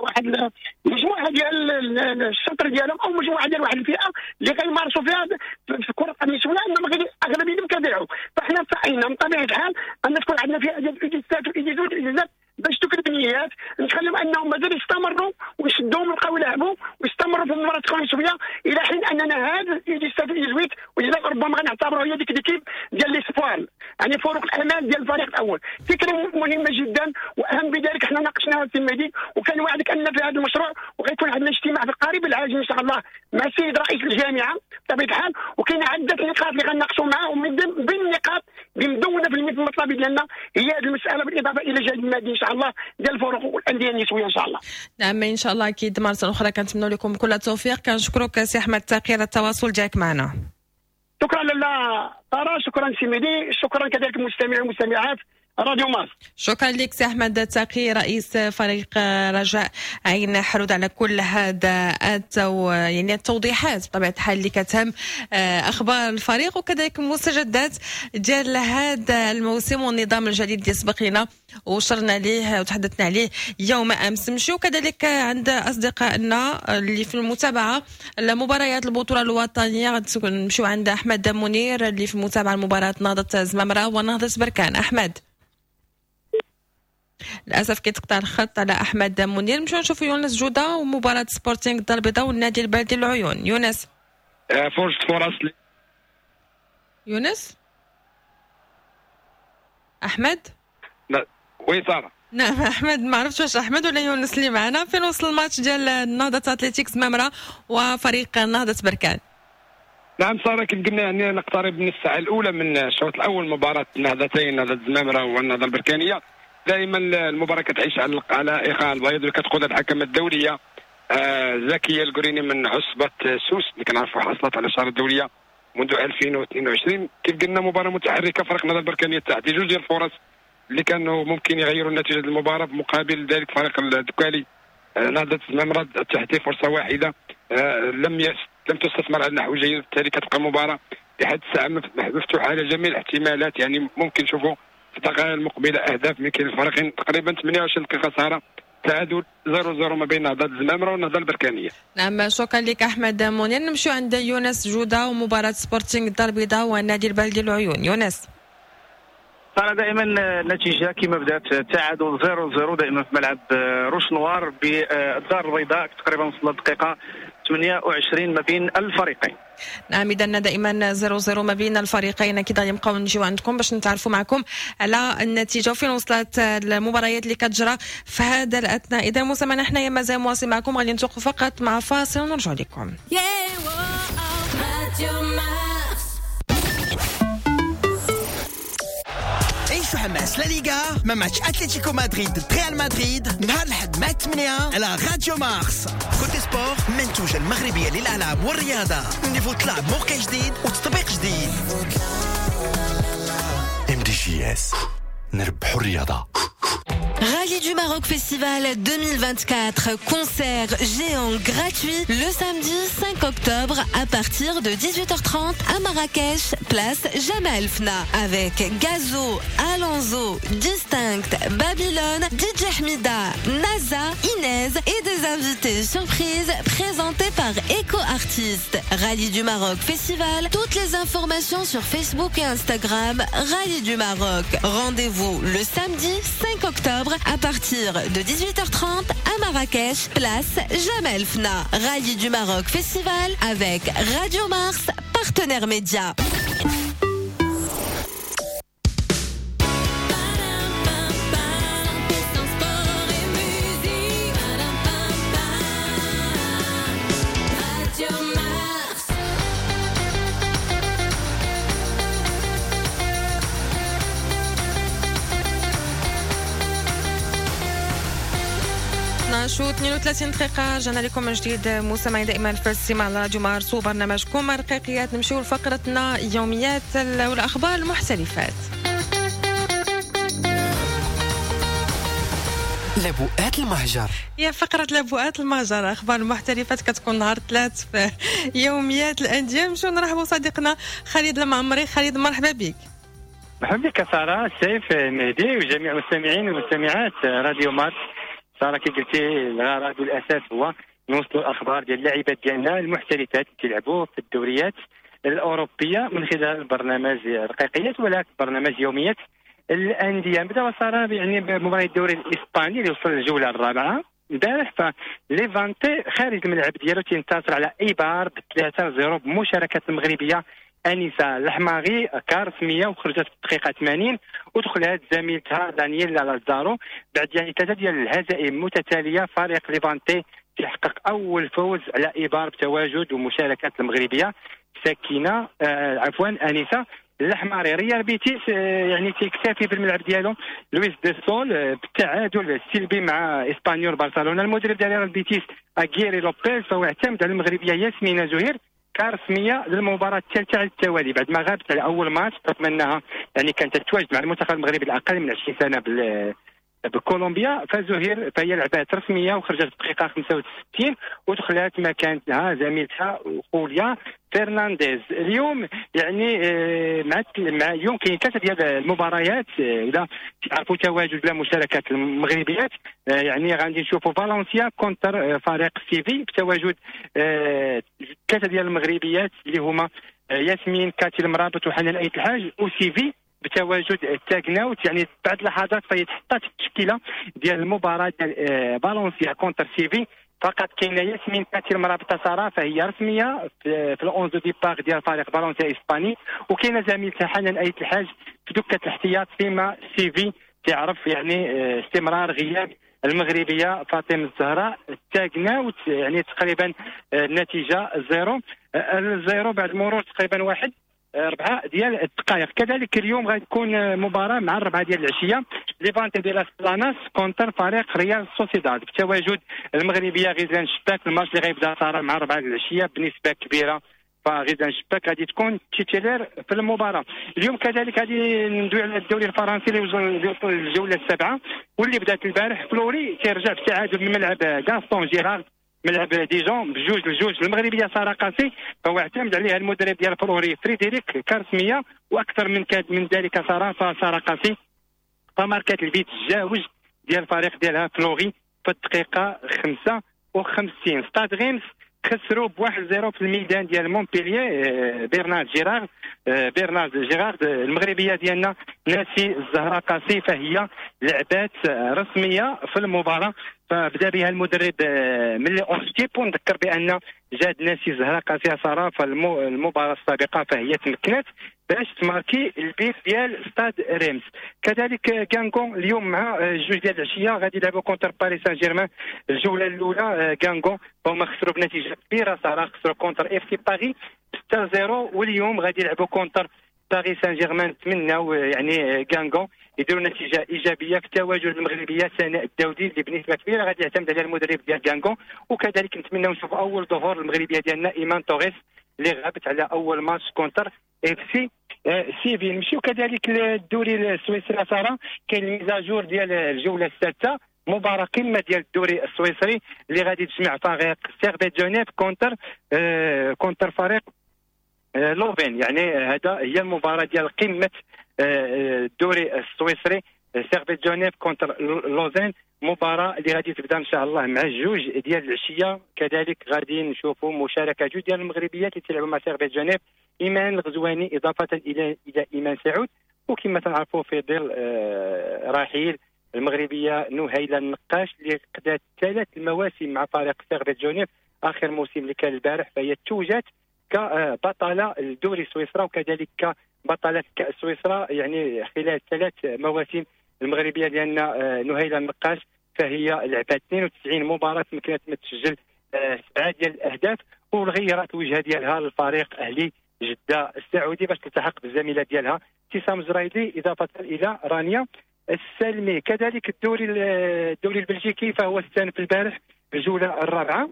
واحد المجموعة ديال الشطر ديالهم او مجموعة ديال واحد الفئة اللي غيمارسوا فيها في الكره النسوية، انما اغلبيتهم كيضيعوا. فاحنا سعينا من طبيعة الحال ان تكون عندنا فئة ديال ال U dix-sept وال U dix-huit وال U dix-neuf باش دوك البنيات نخليهم انهم مازال يستمروا ويشدوهم ويبقاو يلعبوا ويستمروا في المباراة النسوية، الى حين اننا هذا ال U dix-sept وال U dix-huit ربما غنعتبروا هي ديك l'équipe ديال les espoirs، يعني فرق الامال ديال الفريق الاول. فكرة مهمة جدا، واهم بذلك حنا ناقشناها في المهدي، وكان وعدك ان في هذا المشروع وغيكون عندنا اجتماع في القريب العاجل ان شاء الله مع السيد رئيس الجامعة بطبيعة الحال، وكاين عده نقاط اللي غنناقشوا معاه، ومن بين النقاط اللي مدونة في المطلب ديالنا هي هذه المسالة، بالاضافة الى جانب المادي ان شاء الله ديال الفرق والاندية النسوية ان شاء الله. نعم ان شاء الله، اكيد مرة اخرى كنتمنوا لكم كل التوفيق. كنشكرك سي احمد تاقي على التواصل ديالك معنا. شكرا لاله ساره، شكرا سي مهدي، شكرا كذلك المستمعين والمستمعات راديو مارس. شكرا لك سي احمد تاقي رئيس فريق رجاء عين حرود على كل هذا يعني التوضيحات بطبيعة الحال اللي كتهم اخبار الفريق وكذلك المستجدات ديال هذا الموسم والنظام الجديد اللي سبق لنا وشرنا ليه وتحدثنا عليه يوم امس. نمشيو كذلك عند اصدقائنا اللي في المتابعة لمباريات البطولة الوطنية، نمشيو عند احمد منير اللي في المتابعة لمباراة نهضة زمامرة ونهضه بركان. احمد للاسف كيتقطع الخط على احمد منير. نمشيو نشوفوا يونس جوده ومباراة سبورتينغ الدار البيضاء والنادي البلدي العيون. يونس فرص يونس احمد. لا oui ساره. نعم احمد، ما عرفتش واش احمد ولا يونس اللي معنا. فين وصل الماتش ديال نهضة اتلتيك زمامرة وفريق نهضة بركان؟ نعم ساره، كيف قلنا يعني نقترب من الساعة الاولى من الشوط الاول مباراة النهضتين، نهضة زمامرة والنهضه البركانيه. دائما المباراة كتعيش على ايقاع البيض اللي كتقودها الحكمة الدولية زكية القريني من عصبه سوس اللي كنعرفوا حصلت على الشارة الدولية منذ 2022. كيف قلنا مباراة متحركة، فريق النهضة البركانيه تعطي جوج ديال الفرص اللي كانوا ممكن يغيروا نتيجة المباراة، بمقابل ذلك فريق الدكالي نهضة الزمامرة تحت فرصة واحدة لم تستثمر على نحو جيد، بالتالي كتبقى المباراة لحد الساعة مفتوحة على جميع الاحتمالات. يعني ممكن نشوفوا في الدقائق المقبلة اهداف من كلا الفريقين. تقريبا 28 دقيقة ساره، تعادل 0-0 ما بين نهضة الزمامره والنهضه البركانيه. نعم، شكرا لك احمد منير. نمشيو عند يونس جوده ومباراة سبورتينغ الدار البيضاء والنادي البلدي العيون. يونس. ترى دائما النتيجة كما بدات تعادل 0-0 دائما في ملعب روش نوار بالدار البيضاء، تقريبا وصلنا الدقيقة 28 ما بين الفريقين. نعم، اذا دائما 0-0 ما بين الفريقين. اكيد غادي نبقاو نجيو عندكم باش نتعرفوا معكم على النتيجة وفين وصلت المباريات اللي كتجرى في هذا الاثناء. اذا مستمعينا، حنايا مازال مواصل معكم، غادي نتوقف فقط مع فاصل ونرجع لكم. Yeah, whoa, Radio Mars. عيشوا حماس لا ليغا مع ماتش اتلتيكو مدريد ضد ريال مدريد نهار الأحد مع 8 على راديو مارس. Cote Sport، منتوجة المغربية للألعاب والرياضة. niveau طلع بموقع جديد وتطبيق جديد. MDJS، نربحوا الرياضة. Rallye du Maroc Festival 2024, concert géant gratuit le samedi 5 octobre à partir de 18h30 à Marrakech, place Jemaa el-Fna, avec Gazo, Alonso, Distinct, Babylone, DJ Hmida, NASA, Inez et des invités surprises présentés par Eco Artist. Rallye du Maroc Festival, toutes les informations sur Facebook et Instagram, Rallye du Maroc. Rendez-vous le samedi 5 octobre à partir de 18h30 à Marrakech, place Jemaa el-Fna. Rallye du Maroc Festival avec Radio Mars, partenaire média. Sport et musique. Radio Mars. 12 و 32 دقيقة، رجعنا لكم من جديد مستمعين دائما في الاستماع على راديو مارس وبرنامجكم رقيقيات. نمشيو لفقرتنا يوميات والأخبار المحترفات. لبؤات المهجر. يا فقرة لبؤات المهجر، أخبار المحترفات كتكون نهار ثلاث في يوميات الأندية. نمشيو نرحبوا صديقنا خالد المعمري. خالد، مرحبا بك. مرحبا بك سارة، سيف، مهدي وجميع المستمعين والمستمعات راديو مارس. سارة، كي قلتي الغرض والاساس هو نوصلوا الاخبار ديال اللاعبات ديالنا المحترفات اللي تيلعبوا في الدوريات الاوروبية من خلال برنامج رقيقيات ولا برنامج يوميات الاندية. نبداو ساره يعني بمباراة الدوري الاسباني اللي وصل للجوله الرابعة البارح، فليفانتي خارج الملعب ديالو تينتصر على ايبار ب 3-0 بمشاركة المغربية انيسة الحماغي كرسميه، وخرجت في الدقيقة 80 ودخلت زميلتها دانييلا لازارو. بعد يعني ثلاثة ديال الهزائم متتالية، فريق ليفانتي تحقق اول فوز على ايبار بتواجد ومشاركة المغربية سكينة عفوا انيسة الحماري. ريال بيتيس يعني تيكتفي في الملعب ديالو لويس دي سول بالتعادل السلبي مع اسبانيول برشلونة. المدرب ديال ريال بيتيس اغيري لوبيز فهو اعتمد على المغربية ياسمينه زهير كرسميه للمباراة الثالثة على التوالي بعد ما غابت على اول ماتش، رغم انها يعني كانت تتواجد مع المنتخب المغربي الاقل من 20 سنة بكولومبيا. فزهير فهي لعبات رسمية وخرجت في الدقيقة 65 ودخلت مكانتها زميلتها خوليا فرنانديز. اليوم يعني مع اليوم كاين ثلاثة ديال المباريات ولا تعرفوا تواجد لا مشاركة المغربيات. يعني غادي نشوفوا فالنسيا contre فريق سيفي بتواجد ثلاثة ديال المغربيات اللي هما ياسمين كاتي المرابط وحنان ايت الحاج، وسيفي بتواجد التاكناوت. يعني بعد لحظات فهي تحطات التشكيلة ديال المباراة ديال فالنسيا contre سيفي. فقط كاينه ياسمين كاتي المرابطه ساره فهي رسمية في ال onze de départ ديال فريق فالنسيا الاسباني، وكاينه زميلتها حنان ايت الحاج في دكه الاحتياط. فيما سيفي تعرف يعني استمرار غياب المغربية فاطمة الزهراء التاكناوت. يعني تقريبا النتيجة 0-0 بعد مرور تقريبا 1-4 ديال الدقائق. كذلك اليوم غتكون مباراة مع 4 ديال العشية، ليفانتي دي لاس بلاناس contre فريق ريال سوسيداد بتواجد المغربية غزلان شباك. الماتش اللي غيبدا صار مع 4 ديال العشية بنسبة كبيرة فغزلان شباك غادي تكون titulaire في المباراة. اليوم كذلك غادي ندوي على الدوري الفرنسي اللي وصل الجولة السابعة واللي بدات البارح. فلوري تيرجع بالتعادل من ملعب غاستون جيرارد ملعب ديجون ب2-2. المغربية ساره قاسي فهو اعتمد عليها المدرب ديال فلوري فريدريك كارسميه، واكثر من ذلك ساره، فساره قاسي فماركات البيت الجاوج ديال الفريق ديالها فلوري في الدقيقة 55. ستاد ريمس خسروا ب1-0 في الميدان ديال مونبلييه برنارد جيرارد. المغربية ديالنا ناسي الزهراء قاسي فهي لعبات رسمية في المباراة، فبدا بها المدرب من les onze types. ونذكر بان جاد ناسي الزهراء قاسي ساره في المباراة السابقة فهي تمكنت باش تماركي البيت ديال ستاد ريمس. كذلك كانغون اليوم مع 2 ديال العشية غادي يلعبوا contre باريس سان جيرمان الجولة الاولى. كانغون هما خسروا بنتيجة كبيرة ساره، خسروا contre FC باريس 6-0، واليوم غادي يلعبوا contre باريس سان جيرمان. نتمناو يعني كانغون يديروا نتيجة ايجابية في التواجد المغربية سناء الداودي اللي بنسبة كبيرة غادي يعتمد على المدرب ديال كانغون. وكذلك نتمناو نشوفوا اول ظهور المغربية ديالنا ايمان توريس اللي غابت على اول ماتش contre FC سيفي. نمشيو كذلك للدوري السويسري ساره، كاين ال mise à jour ديال الجولة السادسة، مباراة قمة ديال الدوري السويسري اللي غادي تجمع فريق سيرفيت جنيف contre فريق لوفين. يعني هذا هي المباراة ديال قمة الدوري السويسري، سيرفيت جنيف contre لوزين، مباراة اللي غادي تبدا ان شاء الله مع 2 ديال العشية. كذلك غادي نشوفوا مشاركة 2 ديال المغربيات اللي تلعبوا مع سيرفيت جنيف، ايمان الغزواني اضافه الى ايمان سعود. وكما تنعرفوا في ظل رحيل المغربية نهيله النقاش اللي قضات 3 المواسم مع فريق سيرفيت جنيف، اخر موسم اللي كان البارح فهي توجت كبطله الدوري سويسرا وكذلك كبطله كاس سويسرا، يعني خلال 3 مواسم المغربية ديالنا نهيله النقاش فهي لعبت 92 مباراة تمكنت من تسجل 7 ديال الاهداف وغيرت الوجهة ديالها للفريق اهلي جده السعودي باش تلتحق بالزميله ديالها ابتسام زرايدي اضافه الى رانيا السلمي. كذلك الدوري البلجيكي فهو استأنف البارح الجولة الرابعة،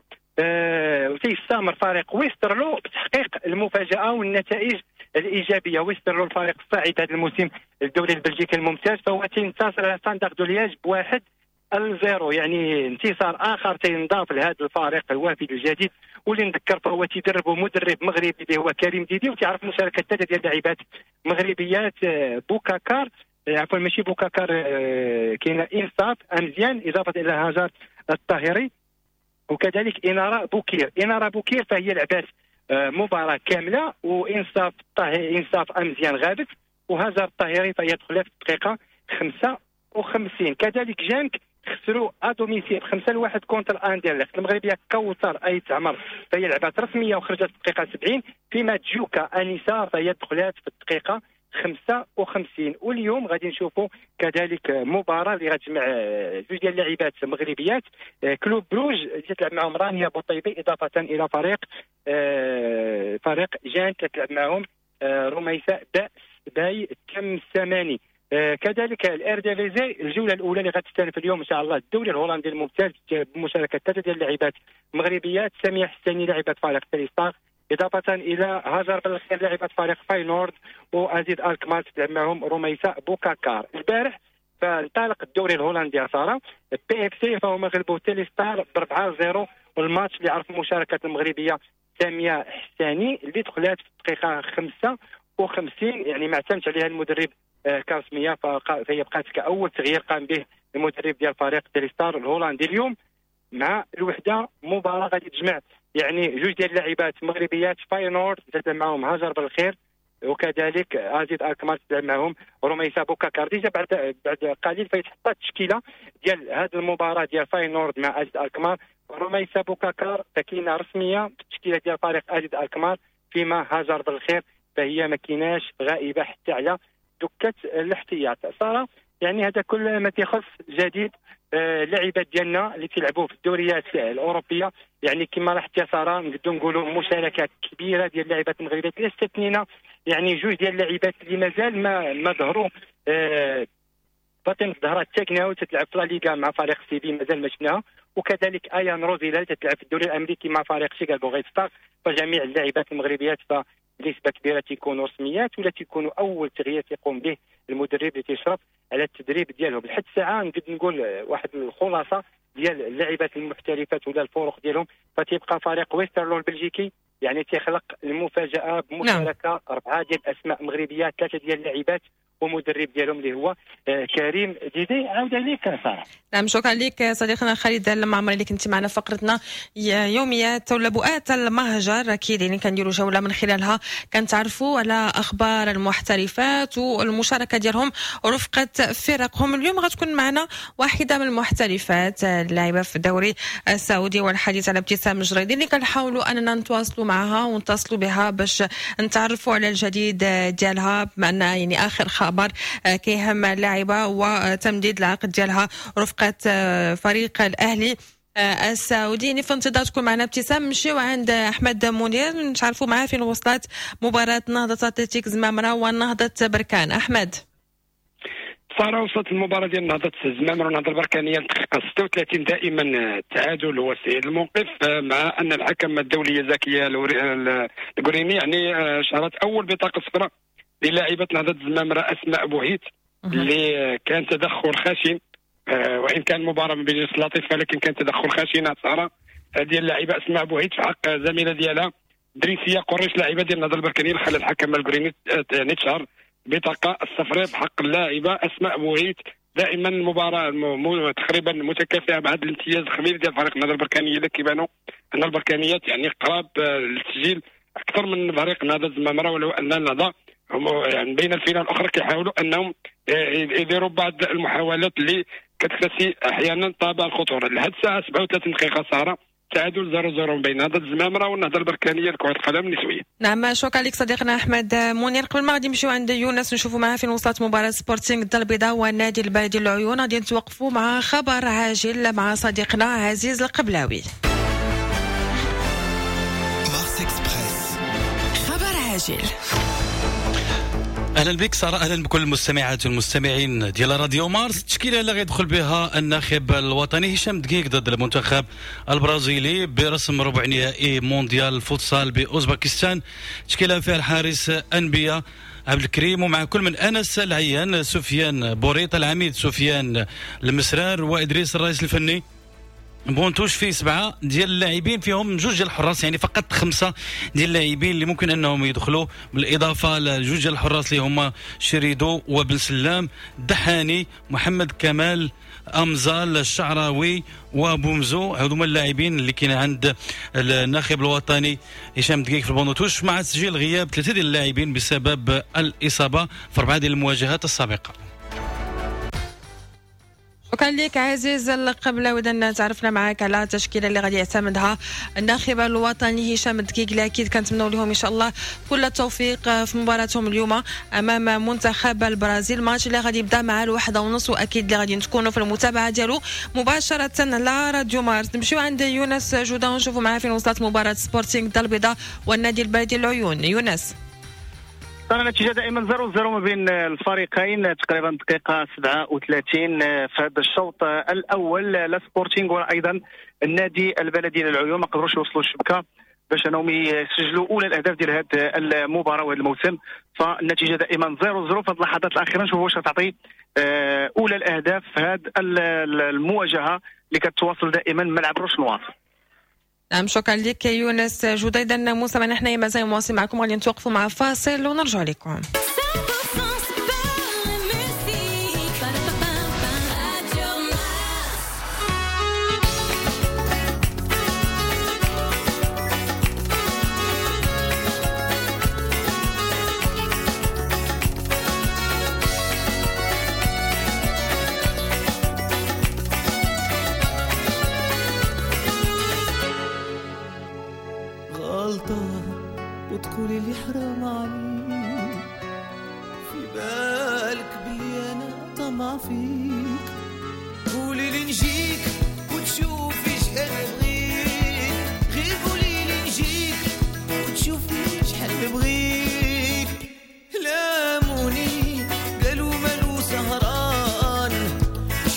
وتيستمر فريق ويسترلو بتحقيق المفاجاة والنتائج الايجابية. ويسترلو الفريق الصاعد هذا الموسم الدوري البلجيكي الممتاز فهو تينتصر على ستاندارد دو لياج ب1-0، يعني انتصار اخر تينضاف لهذا الفريق الوافد الجديد. واللي نذكر فهو تيدربوا مدرب مغربي اللي هو كريم ديدي، وتعرف مشاركة 3 ديال اللاعبات مغربيات، بوكاكار عفوا ماشي بوكاكار، كاينه انصاف امزيان اضافه الى هاجر الطاهري وكذلك انارة بوكير. انارة بوكير فهي لعبات مباراة كاملة، وانصاف انصاف امزيان غابت، وهاجر الطاهري فهي دخلت في الدقيقة 55. كذلك جانك خسروا à domicile 5-1 contre اندرلخت. المغربية كوثر ايت عمر فهي لعبات رسمية وخرجت في الدقيقة 70، فيما جوكا انيسة فهي دخلات في الدقيقة 55. واليوم غادي نشوفوا كذلك مباراة اللي غتجمع 2 ديال اللاعبات مغربيات، كلوب بروج اللي تلعب معهم رانيا بوطيبي اضافه الى فريق جان تلعب معهم رميساء باس باي التمسماني. كذلك الارديفيزي الجولة الاولى اللي غتستأنف اليوم ان شاء الله الدوري الهولندي الممتاز بمشاركة 3 ديال اللاعبات مغربيات، سامية حساني لاعبه فريق تريستار اضافه الى هاجر بالخير لاعبه فريق فاينورد، وازيد الكمال تلعب معهم رميساء بوكاكار. البارح فانطلق الدوري الهولندي ساره، PFC فهم غلبوا تيليستار ب4-0، والماتش اللي عرف مشاركة المغربية سامية حساني اللي دخلات في الدقيقة 55، يعني ما اعتمدش عليها المدرب كرسميه، فهي بقات كاول تغيير قام به المدرب ديال فريق تيليستار الهولندي. اليوم مع الوحدة مباراة غادي تجمع يعني 2 ديال اللاعبات مغربيات، فاينورد تلعب معهم هاجر بالخير وكذلك ازيد الكمال تلعب معهم رميسة بوكاكار. déjà بعد قليل فيتحط التشكيلة ديال هذه المباراة ديال فاينورد مع ازيد الكمال، رميسة بوكاكار تكينه رسمية في التشكيلة ديال فريق ازيد الكمال، فيما هاجر بالخير فهي ما كايناش غائبة حتى على دكه الاحتياط. ساره يعني هذا كل ما تيخص جديد اللاعبات ديالنا اللي تيلعبوا في الدوريات الاوروبية. يعني كما لاحظت يا ساره نقدروا نقولوا مشاركة كبيرة ديال اللاعبات المغربيات، لا استثنينا يعني 2 ديال اللاعبات اللي مازال ما ظهروا. فاطمة الزهراء التاكناوي تتلعب في لا ليغا مع فريق سيفي مازال ما شفناها، وكذلك ايان روزيلا اللي تلعب في الدوري الامريكي مع فريق شيكاغو ريد ستار. فجميع اللاعبات المغربيات فبنسبه كبيرة تيكونوا رسميات ولا تيكونوا اول تغيير تيقوم به المدرب اللي تيشرف على التدريب ديالهم. لحد الساعة نقدر نقول واحد الخلاصة ديال اللاعبات المحترفات ولا الفرق ديالهم، فتيبقى فريق ويسترلو البلجيكي يعني تيخلق المفاجاة بمشاركة نعم. 4 ديال الاسماء مغربيات، 3 ديال اللاعبات ومدرب ديالهم اللي هو كريم ديدي. عاود عليك ساره. نعم شكرا لك صديقنا خالد المعمري اللي كنت معنا في فقرتنا يوميات ولا بؤات المهجر، اكيد يعني كنديروا جولة من خلالها كنتعرفوا على اخبار المحترفات والمشاركة ديالهم رفقه فرقهم. اليوم غتكون معنا واحدة من المحترفات اللاعبه في الدوري السعودي، والحديث على ابتسام الجريدي اللي كنحاولوا اننا نتواصلوا معها ونتصلوا بها باش نتعرفوا على الجديد ديالها، بما ان يعني اخر خبر كيهم اللاعبه وتمديد العقد ديالها رفقه فريق الاهلي السعودي. يعني في انتظار تكون معنا ابتسام، نمشيو عند احمد منير نتعرفوا معاه فين وصلت مباراة نهضة اتلتيك زمامرة ونهضه بركان. احمد. ساره وصلت المباراة ديال نهضة زمامرة ونهضه البركانيه الدقيقة 36، دائما التعادل هو سيد الموقف، مع ان الحكم الدولية زكية القريني يعني شهرت اول بطاقة صفراء للاعبه نهضة زمامرة اسماء بوهيت اللي كان تدخل خشن، وان كان المباراة ما بين لطيفة لكن كان تدخل خشن ساره ديال اللاعبه اسماء بوهيت في حق زميله ديالها دريسيه قريش لاعبه ديال النهضة البركانيه، اللي خلى الحكم القريني يعني تشهر بطاقة الصفراء بحق اللاعبه اسماء بوهيت. دائما المباراة تقريبا متكافئة مع هذا الامتياز الخبير ديال فريق النهضة البركانيه اللي كيبانوا ان البركانيات يعني قراب للتسجيل اكثر من فريق نهضة زمامرة، ولو ان النهضة يعني بين الفينة الاخرى كيحاولوا انهم يديروا بعض المحاولات اللي كتكتسي احيانا طابع الخطورة. لحد الساعة 37 دقيقة ساره تعادل 0-0 بين نهضة الزمامره والنهضه البركانيه لكرة القدم النسوية. نعم شكرا لك صديقنا احمد منير. قبل ما غادي نمشيو عند يونس نشوفوا معاه فين وصلت مباراة سبورتينغ الدار البيضاء والنادي البلدي للعيون، غادي نتوقفوا مع خبر عاجل مع صديقنا عزيز القبلاوي. مارس اكسبريس، خبر عاجل. اهلا بك ساره، اهلا بكل المستمعات والمستمعين ديال راديو مارس. التشكيلة اللي غيدخل بها الناخب الوطني هشام دقيق ضد المنتخب البرازيلي برسم ربع نهائي مونديال الفوتسال باوزباكستان. تشكيله فيها الحارس انبياء عبد الكريم، ومع كل من انس العيان، سفيان بوريط، العميد سفيان المسرار، وادريس الرئيس الفني. banc de touche فيه 7 ديال اللاعبين، فيهم 2 ديال الحراس، يعني فقط 5 ديال اللاعبين اللي ممكن انهم يدخلوا، بالاضافة لجوج ديال الحراس اللي هما شريدو وبن سلام، دحاني، محمد كمال، امزال الشعراوي، وبومزو. هذوما اللاعبين اللي كاين عند الناخب الوطني هشام دقيق في ال banc de touche، مع تسجيل غياب 3 ديال اللاعبين بسبب الاصابة في 4 ديال المواجهات السابقة. شكرا لك عزيز القبلاوي. اذا تعرفنا معك على التشكيلة اللي غادي يعتمدها الناخب الوطني هشام الدقيق، اللي اكيد كنتمنوا لهم ان شاء الله كل التوفيق في مباراتهم اليوم امام منتخب البرازيل، ماتش اللي غادي يبدا مع 1:30، واكيد اللي غادي نكونوا في المتابعة ديالو مباشرة على راديو مارس. نمشيو عند يونس جوده ونشوفوا معاه فين وصلت مباراة سبورتينغ الدار البيضاء والنادي البلدي العيون. يونس. النتيجة دائما 0-0 ما بين الفريقين، تقريبا دقيقة 37 في هذا الشوط الأول. لا سبورتينغ ولا أيضا النادي البلدي للعيون ما قدروش يوصلوا الشبكة باش أنهم يسجلوا أولى الأهداف ديال هذه المباراة وهذا الموسم. فالنتيجة دائما 0-0 في اللحظات الأخيرة. نشوفوا واش تعطي أولى الأهداف في هذه المواجهة اللي كتواصل دائما ملعب روشنوار. نعم شكرا لك يونس جودة. اذا موسى نحن مازال مواصل معكم، غادي نتوقفوا مع فاصل ونرجع لكم. وتقولي لي حرام عليك، في بالك بلي انا طمع فيك، قولي لي نجيك وتشوفي شحال بغيت، غير قولي لي نجيك وتشوفي شحال بغيت. لاموني قالوا مالو سهران،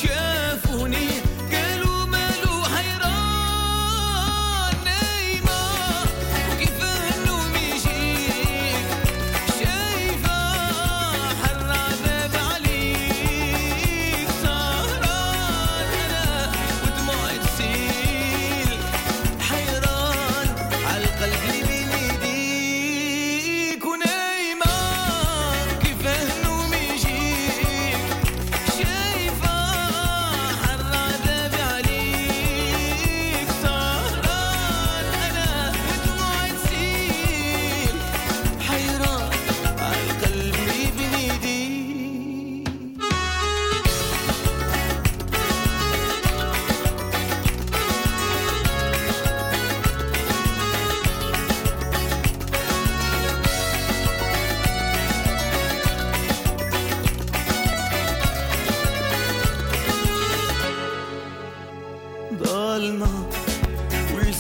شافوني قالوا مالو حيران.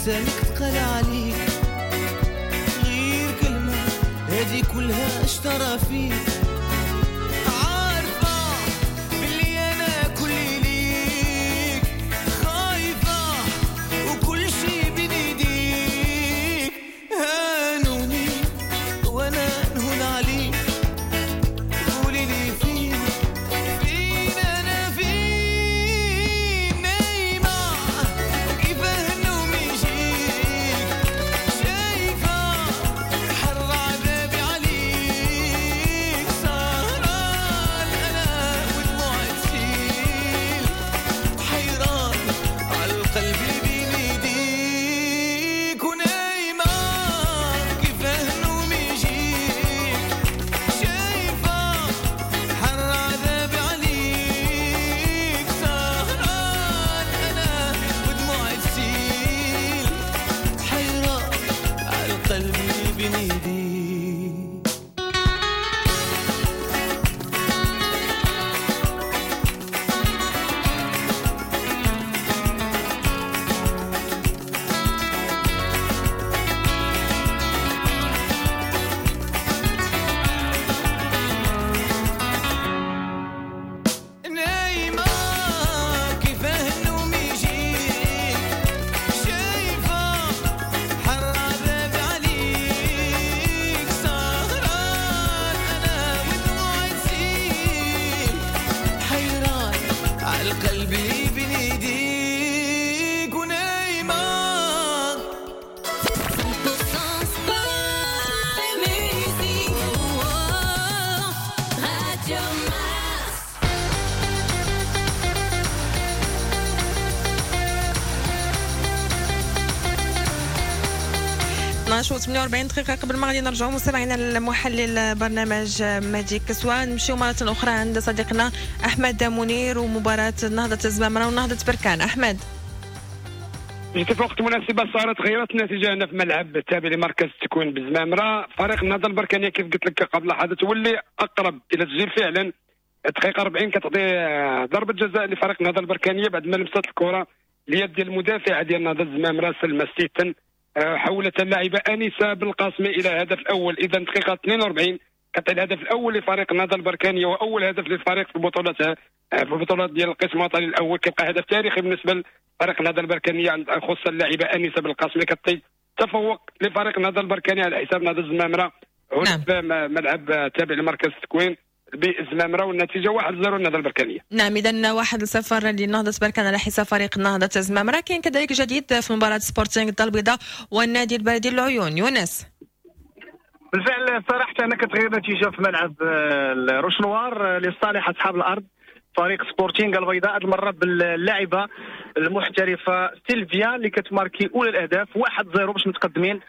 ولسانك تقال عليك، غير كلمة هذه كلها اشترى فيك. عارفة باللي أنا كل ليك، خايفة وكل شي بين ايديك، هانوني وأنا نهون عليك، قولي لي فين فين أنا فين، نايمة وكيفاه النوم يجيك، شايفة حر عذابي عليك، سهران أنا ودموعي تسيل، حيران على القلب اللي بين ايديك، ونايمة كيفاه النوم يجيك، شايفة حر عذابي عليك، سهران أنا ودموعي تسيل، حيران على القلب اللي بين ايديك. نايمة كيفاه النوم يجيك، شايفة حر عذابي عليك، سهران أنا ودموعي تسيل، حيران على القلب اللي بين ايديك، ونايمة. 100% sport et musique. Radio Mars. و 48 دقيقة قبل ما غادي نرجعوا مستمعينا المحلل برنامج مهدي كسوة، نمشيو مرة أخرى عند صديقنا أحمد منير ومباراة نهضة الزمامرة ونهضة بركان. أحمد، جيت في وقت مناسبة سارة، تغيرت النتيجة هنا في ملعب التابع لمركز التكوين بالزمامرة. فريق النهضة البركانية كيف قلت لك قبل لحظات واللي أقرب إلى التسجيل فعلا. الدقيقة 40 كتعطي ضربة جزاء لفريق النهضة البركانية بعد ما لمست الكرة اليد ديال المدافع ديال النهضة الزمامرة سلمى ستيتن، حولت اللاعبة أنيسة بالقاسمي إلى هدف الأول. إذا دقيقة 42 كتعطي الهدف الأول لفريق النهضة البركانية وأول هدف للفريق في البطولات، في البطولات ديال القسم الوطني الأول. كيبقى هدف تاريخي بالنسبة لفريق النهضة البركانية، خصوصا اللاعبة أنيسة بالقاسمي كتعطي تفوق لفريق النهضة البركانية على حساب نهضة الزمامرة هنا في ملعب تابع لمركز التكوين بالزمامرة، والنتيجة 1-0 للنهضة البركانية. نعم، إذا 1-0 لنهضة بركان على حساب فريق نهضة الزمامرة. كاين كذلك جديد في مباراة سبورتينغ الدار البيضاء والنادي البلدي العيون. يونس، بالفعل صراحة أنا كتغير نتيجة في ملعب الروشنوار لصالح أصحاب الأرض، فريق سبورتينغ البيضاء هذه المرة باللاعبة المحترفة سيلفيا اللي كتماركي أولى الأهداف 1-0 باش متقدمين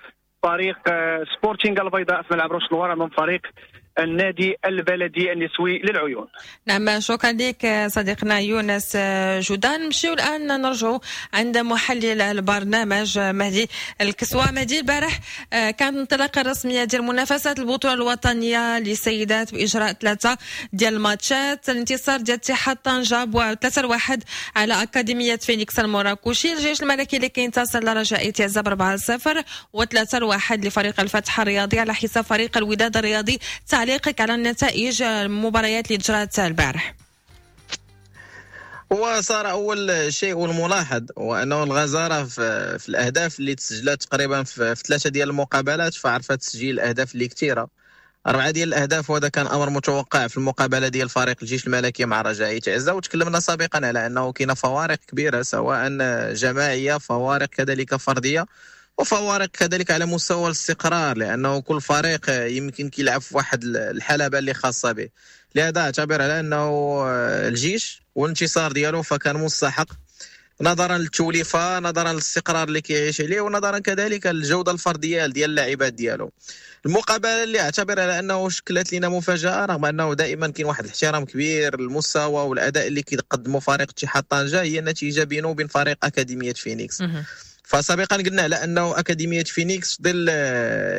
فريق سبورتينغ البيضاء في ملعب روشنوار أمام فريق النادي البلدي النسوي للعيون. نعم، شكرا لك صديقنا يونس جودان. نمشيو الآن نرجعوا عند محلل البرنامج مهدي الكسوة. مهدي، البارح كانت الانطلاقة الرسمية ديال منافسات البطولة الوطنية للسيدات بإجراء 3 ديال الماتشات. الانتصار ديال اتحاد طنجة 3-1 على أكاديمية فينيكس المراكشي، الجيش الملكي اللي كينتصر لرجاء تيزا 4-0، و3-1 لفريق الفتح الرياضي على حساب فريق الوداد الرياضي. تعليقك على النتائج المباريات اللي جرات البارح؟ هو صار اول شيء والملاحظ هو انه الغزاره في الاهداف اللي تسجلت تقريبا في 3 ديال المقابلات، فعرفت تسجيل الاهداف اللي كثيرة، 4 ديال الاهداف، وهذا كان امر متوقع في المقابلة ديال فريق الجيش الملكي مع رجاء تعزة. وتكلمنا سابقا على انه كاينه فوارق كبيرة سواء جماعية، فوارق كذلك فردية، وفوارق كذلك على مستوى الاستقرار، لانه كل فريق يمكن كيلعب في واحد الحلبة اللي خاصة به. لهذا اعتبر على انه الجيش والانتصار ديالو فكان مستحق نظرا للتوليفه، نظرا للاستقرار اللي كيعيش عليه، ونظرا كذلك للجودة الفردية ديال اللاعبات ديالو. المقابلة اللي اعتبر على انه شكلت لنا مفاجاة، رغم انه دائما كاين واحد الاحترام كبير للمستوى والاداء اللي كيقدموا فريق اتحاد طنجه، هي النتيجة بينه وبين فريق اكاديمية فينيكس. فسابقا قلنا على انه اكاديمية فينيكس ظل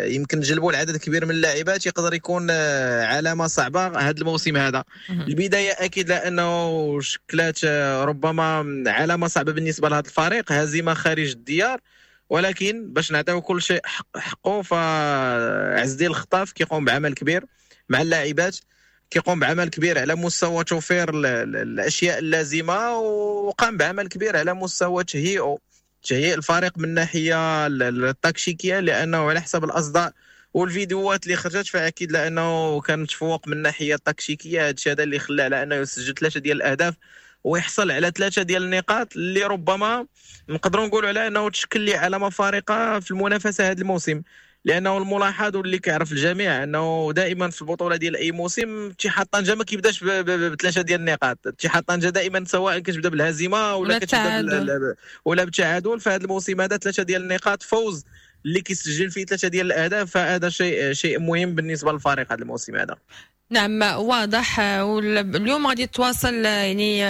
يمكن جلبوا العدد كبير من اللاعبات يقدر يكون علامة صعبة هذا الموسم هذا. البداية اكيد لانه شكلت ربما علامة صعبة بالنسبة لهذا الفريق، هزيمة خارج الديار، ولكن باش نعطيو كل شيء حقه، فعز الدين الخطاف كيقوم بعمل كبير مع اللاعبات، كيقوم بعمل كبير على مستوى توفير الاشياء اللازمة، وقام بعمل كبير على مستوى تهيئ الفريق من الناحية التكتيكيه، لانه على حسب الاصداء والفيديوهات اللي خرجت فاكيد لانه كان متفوق من الناحية التكتيكيه. هذا الشيء هذا اللي خلاه على انه يسجل 3 ديال الاهداف ويحصل على 3 ديال النقاط اللي ربما نقدروا نقولوا على انه تشكل لي علامة فارقه في المنافسة هذا الموسم، لانه الملاحظ واللي كيعرف الجميع انه دائما في البطولة ديال اي موسم اتحاد طنجه ما كيبداش ب3 ديال النقاط. اتحاد طنجه دائما سواء كتبدا بالهزيمة ولا كتبدا ولا بالتعادل. فهذا الموسم هذا 3 ديال النقاط، فوز اللي كيسجل فيه 3 ديال الاهداف، فهذا شيء مهم بالنسبة للفريق هذا الموسم هذا. نعم واضح. واليوم غادي تواصل يعني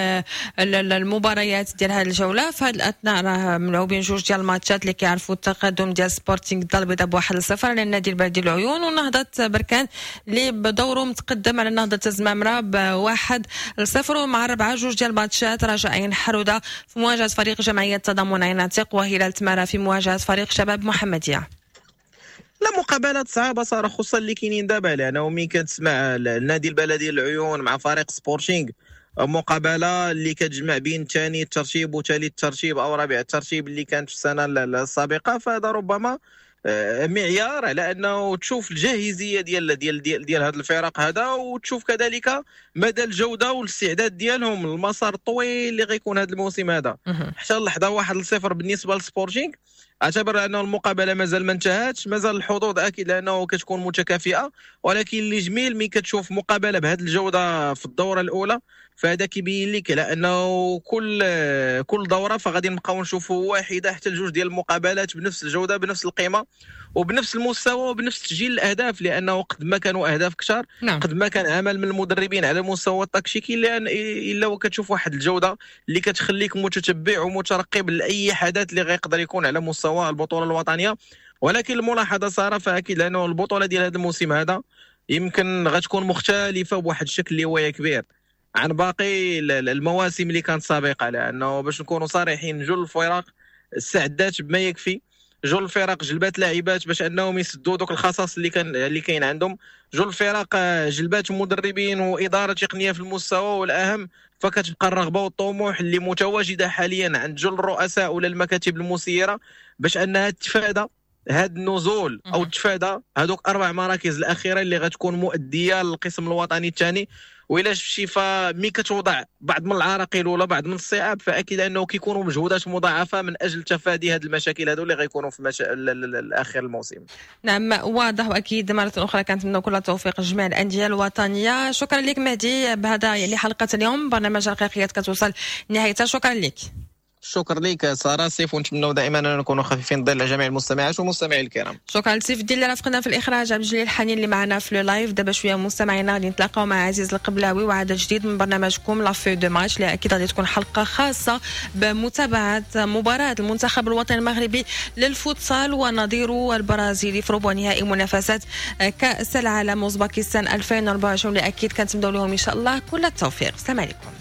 المباريات ديال هذه الجولة. في هذه الاثناء راه ملعوبين 2 ديال الماتشات اللي كيعرفوا التقدم ديال سبورتينغ الدار البيضاء ب1-0 على النادي البلدي العيون، ونهضه بركان اللي بدوره متقدم على نهضة الزمامره ب1-0. ومع 4 2 ديال الماتشات رجاء عين حروده في مواجهة فريق جمعية تضامن عين عتيق، وهلال تمارا في مواجهة فريق شباب محمديه. لا مقابلات صعبة صار، خصوصا اللي كاينين دابا، لانه ملي كتسمع النادي البلدي العيون مع فريق سبورتينغ، مقابله اللي كتجمع بين ثاني الترتيب وثالث الترتيب او رابع الترتيب اللي كانت في السنة السابقة، فهذا ربما معيار على انه تشوف الجاهزيه ديال ديال ديال, ديال هذا الفرق هذا، وتشوف كذلك مدى الجودة والاستعداد ديالهم للمسار الطويل اللي غيكون هذا الموسم هذا. حتى اللحظة 1-0 بالنسبة للسبورتينغ، اعتبر انه المقابلة مازال ما انتهتش، مازال الحظوظ اكيد لانه كتكون متكافئة، ولكن اللي جميل ملي كتشوف مقابله بهذه الجودة في الدورة الاولى، فهذا كيبين لك على انه كل دوره فغادي نبقاو نشوفوا واحدة حتى لجوج ديال المقابلات بنفس الجودة بنفس القيمة وبنفس المستوى وبنفس تسجيل الاهداف، لانه قد ما كانوا اهداف كثار، نعم، قد ما كان عمل من المدربين على المستوى التكتيكي، لان الا وكتشوف واحد الجودة اللي كتخليك متتبع ومترقب لاي حدث اللي غيقدر يكون على مستوى البطولة الوطنية. ولكن الملاحظة ساره فاكيد لانه البطولة ديال هذا الموسم هذا يمكن غتكون مختلفة بواحد الشكل اللي هو كبير عن باقي المواسم اللي كانت سابقه، لانه باش نكونوا صريحين جل الفرق استعدات بما يكفي، جل الفرق جلبات لاعبات باش انهم يسدوا دوك الخصاص اللي كاين عندهم، جل الفرق جلبات مدربين واداره تقنية في المستوى، والاهم فكتبقى الرغبة والطموح اللي متواجدة حاليا عند جل الرؤساء ولا المكاتب المسيرة باش انها تتفادى هذا النزول او تتفادى هذوك 4 مراكز الاخيرة اللي غتكون مؤديه للقسم الوطني الثاني. وإلا شفتي فمي كتوضع بعض من العراقيل ولا بعض من الصعاب، فاكيد انه كيكونوا مجهودات مضاعفه من اجل تفادي هذه المشاكل هذو اللي غيكونوا في الاخر الموسم. نعم واضح، واكيد مرة اخرى كنتمنى كل التوفيق لجميع الاندية الوطنية. شكرا لك مهدي، بهذا يعني حلقة اليوم برنامج رقيقيات كتوصل نهايتها. شكرا لك. شكرا لك ساره سيف، ونتمنوا دائما ان نكونوا خفيفين الظل على جميع المستمعات والمستمعين الكرام. شكرا لسيف الدين اللي رافقنا في الاخراج، عبد الجليل الحنين اللي معنا في le live. دابا شوية مستمعينا غادي نتلاقاو مع عزيز القبلاوي وعدد جديد من برنامجكم la feuille de match، اللي اكيد غادي تكون حلقة خاصة بمتابعة مباراة المنتخب الوطني المغربي للفوتسال ونظيره البرازيلي في ربع نهائي منافسات كاس العالم اوزباكستان 2024، اللي اكيد كنتمنوا لهم ان شاء الله كل التوفيق. السلام عليكم.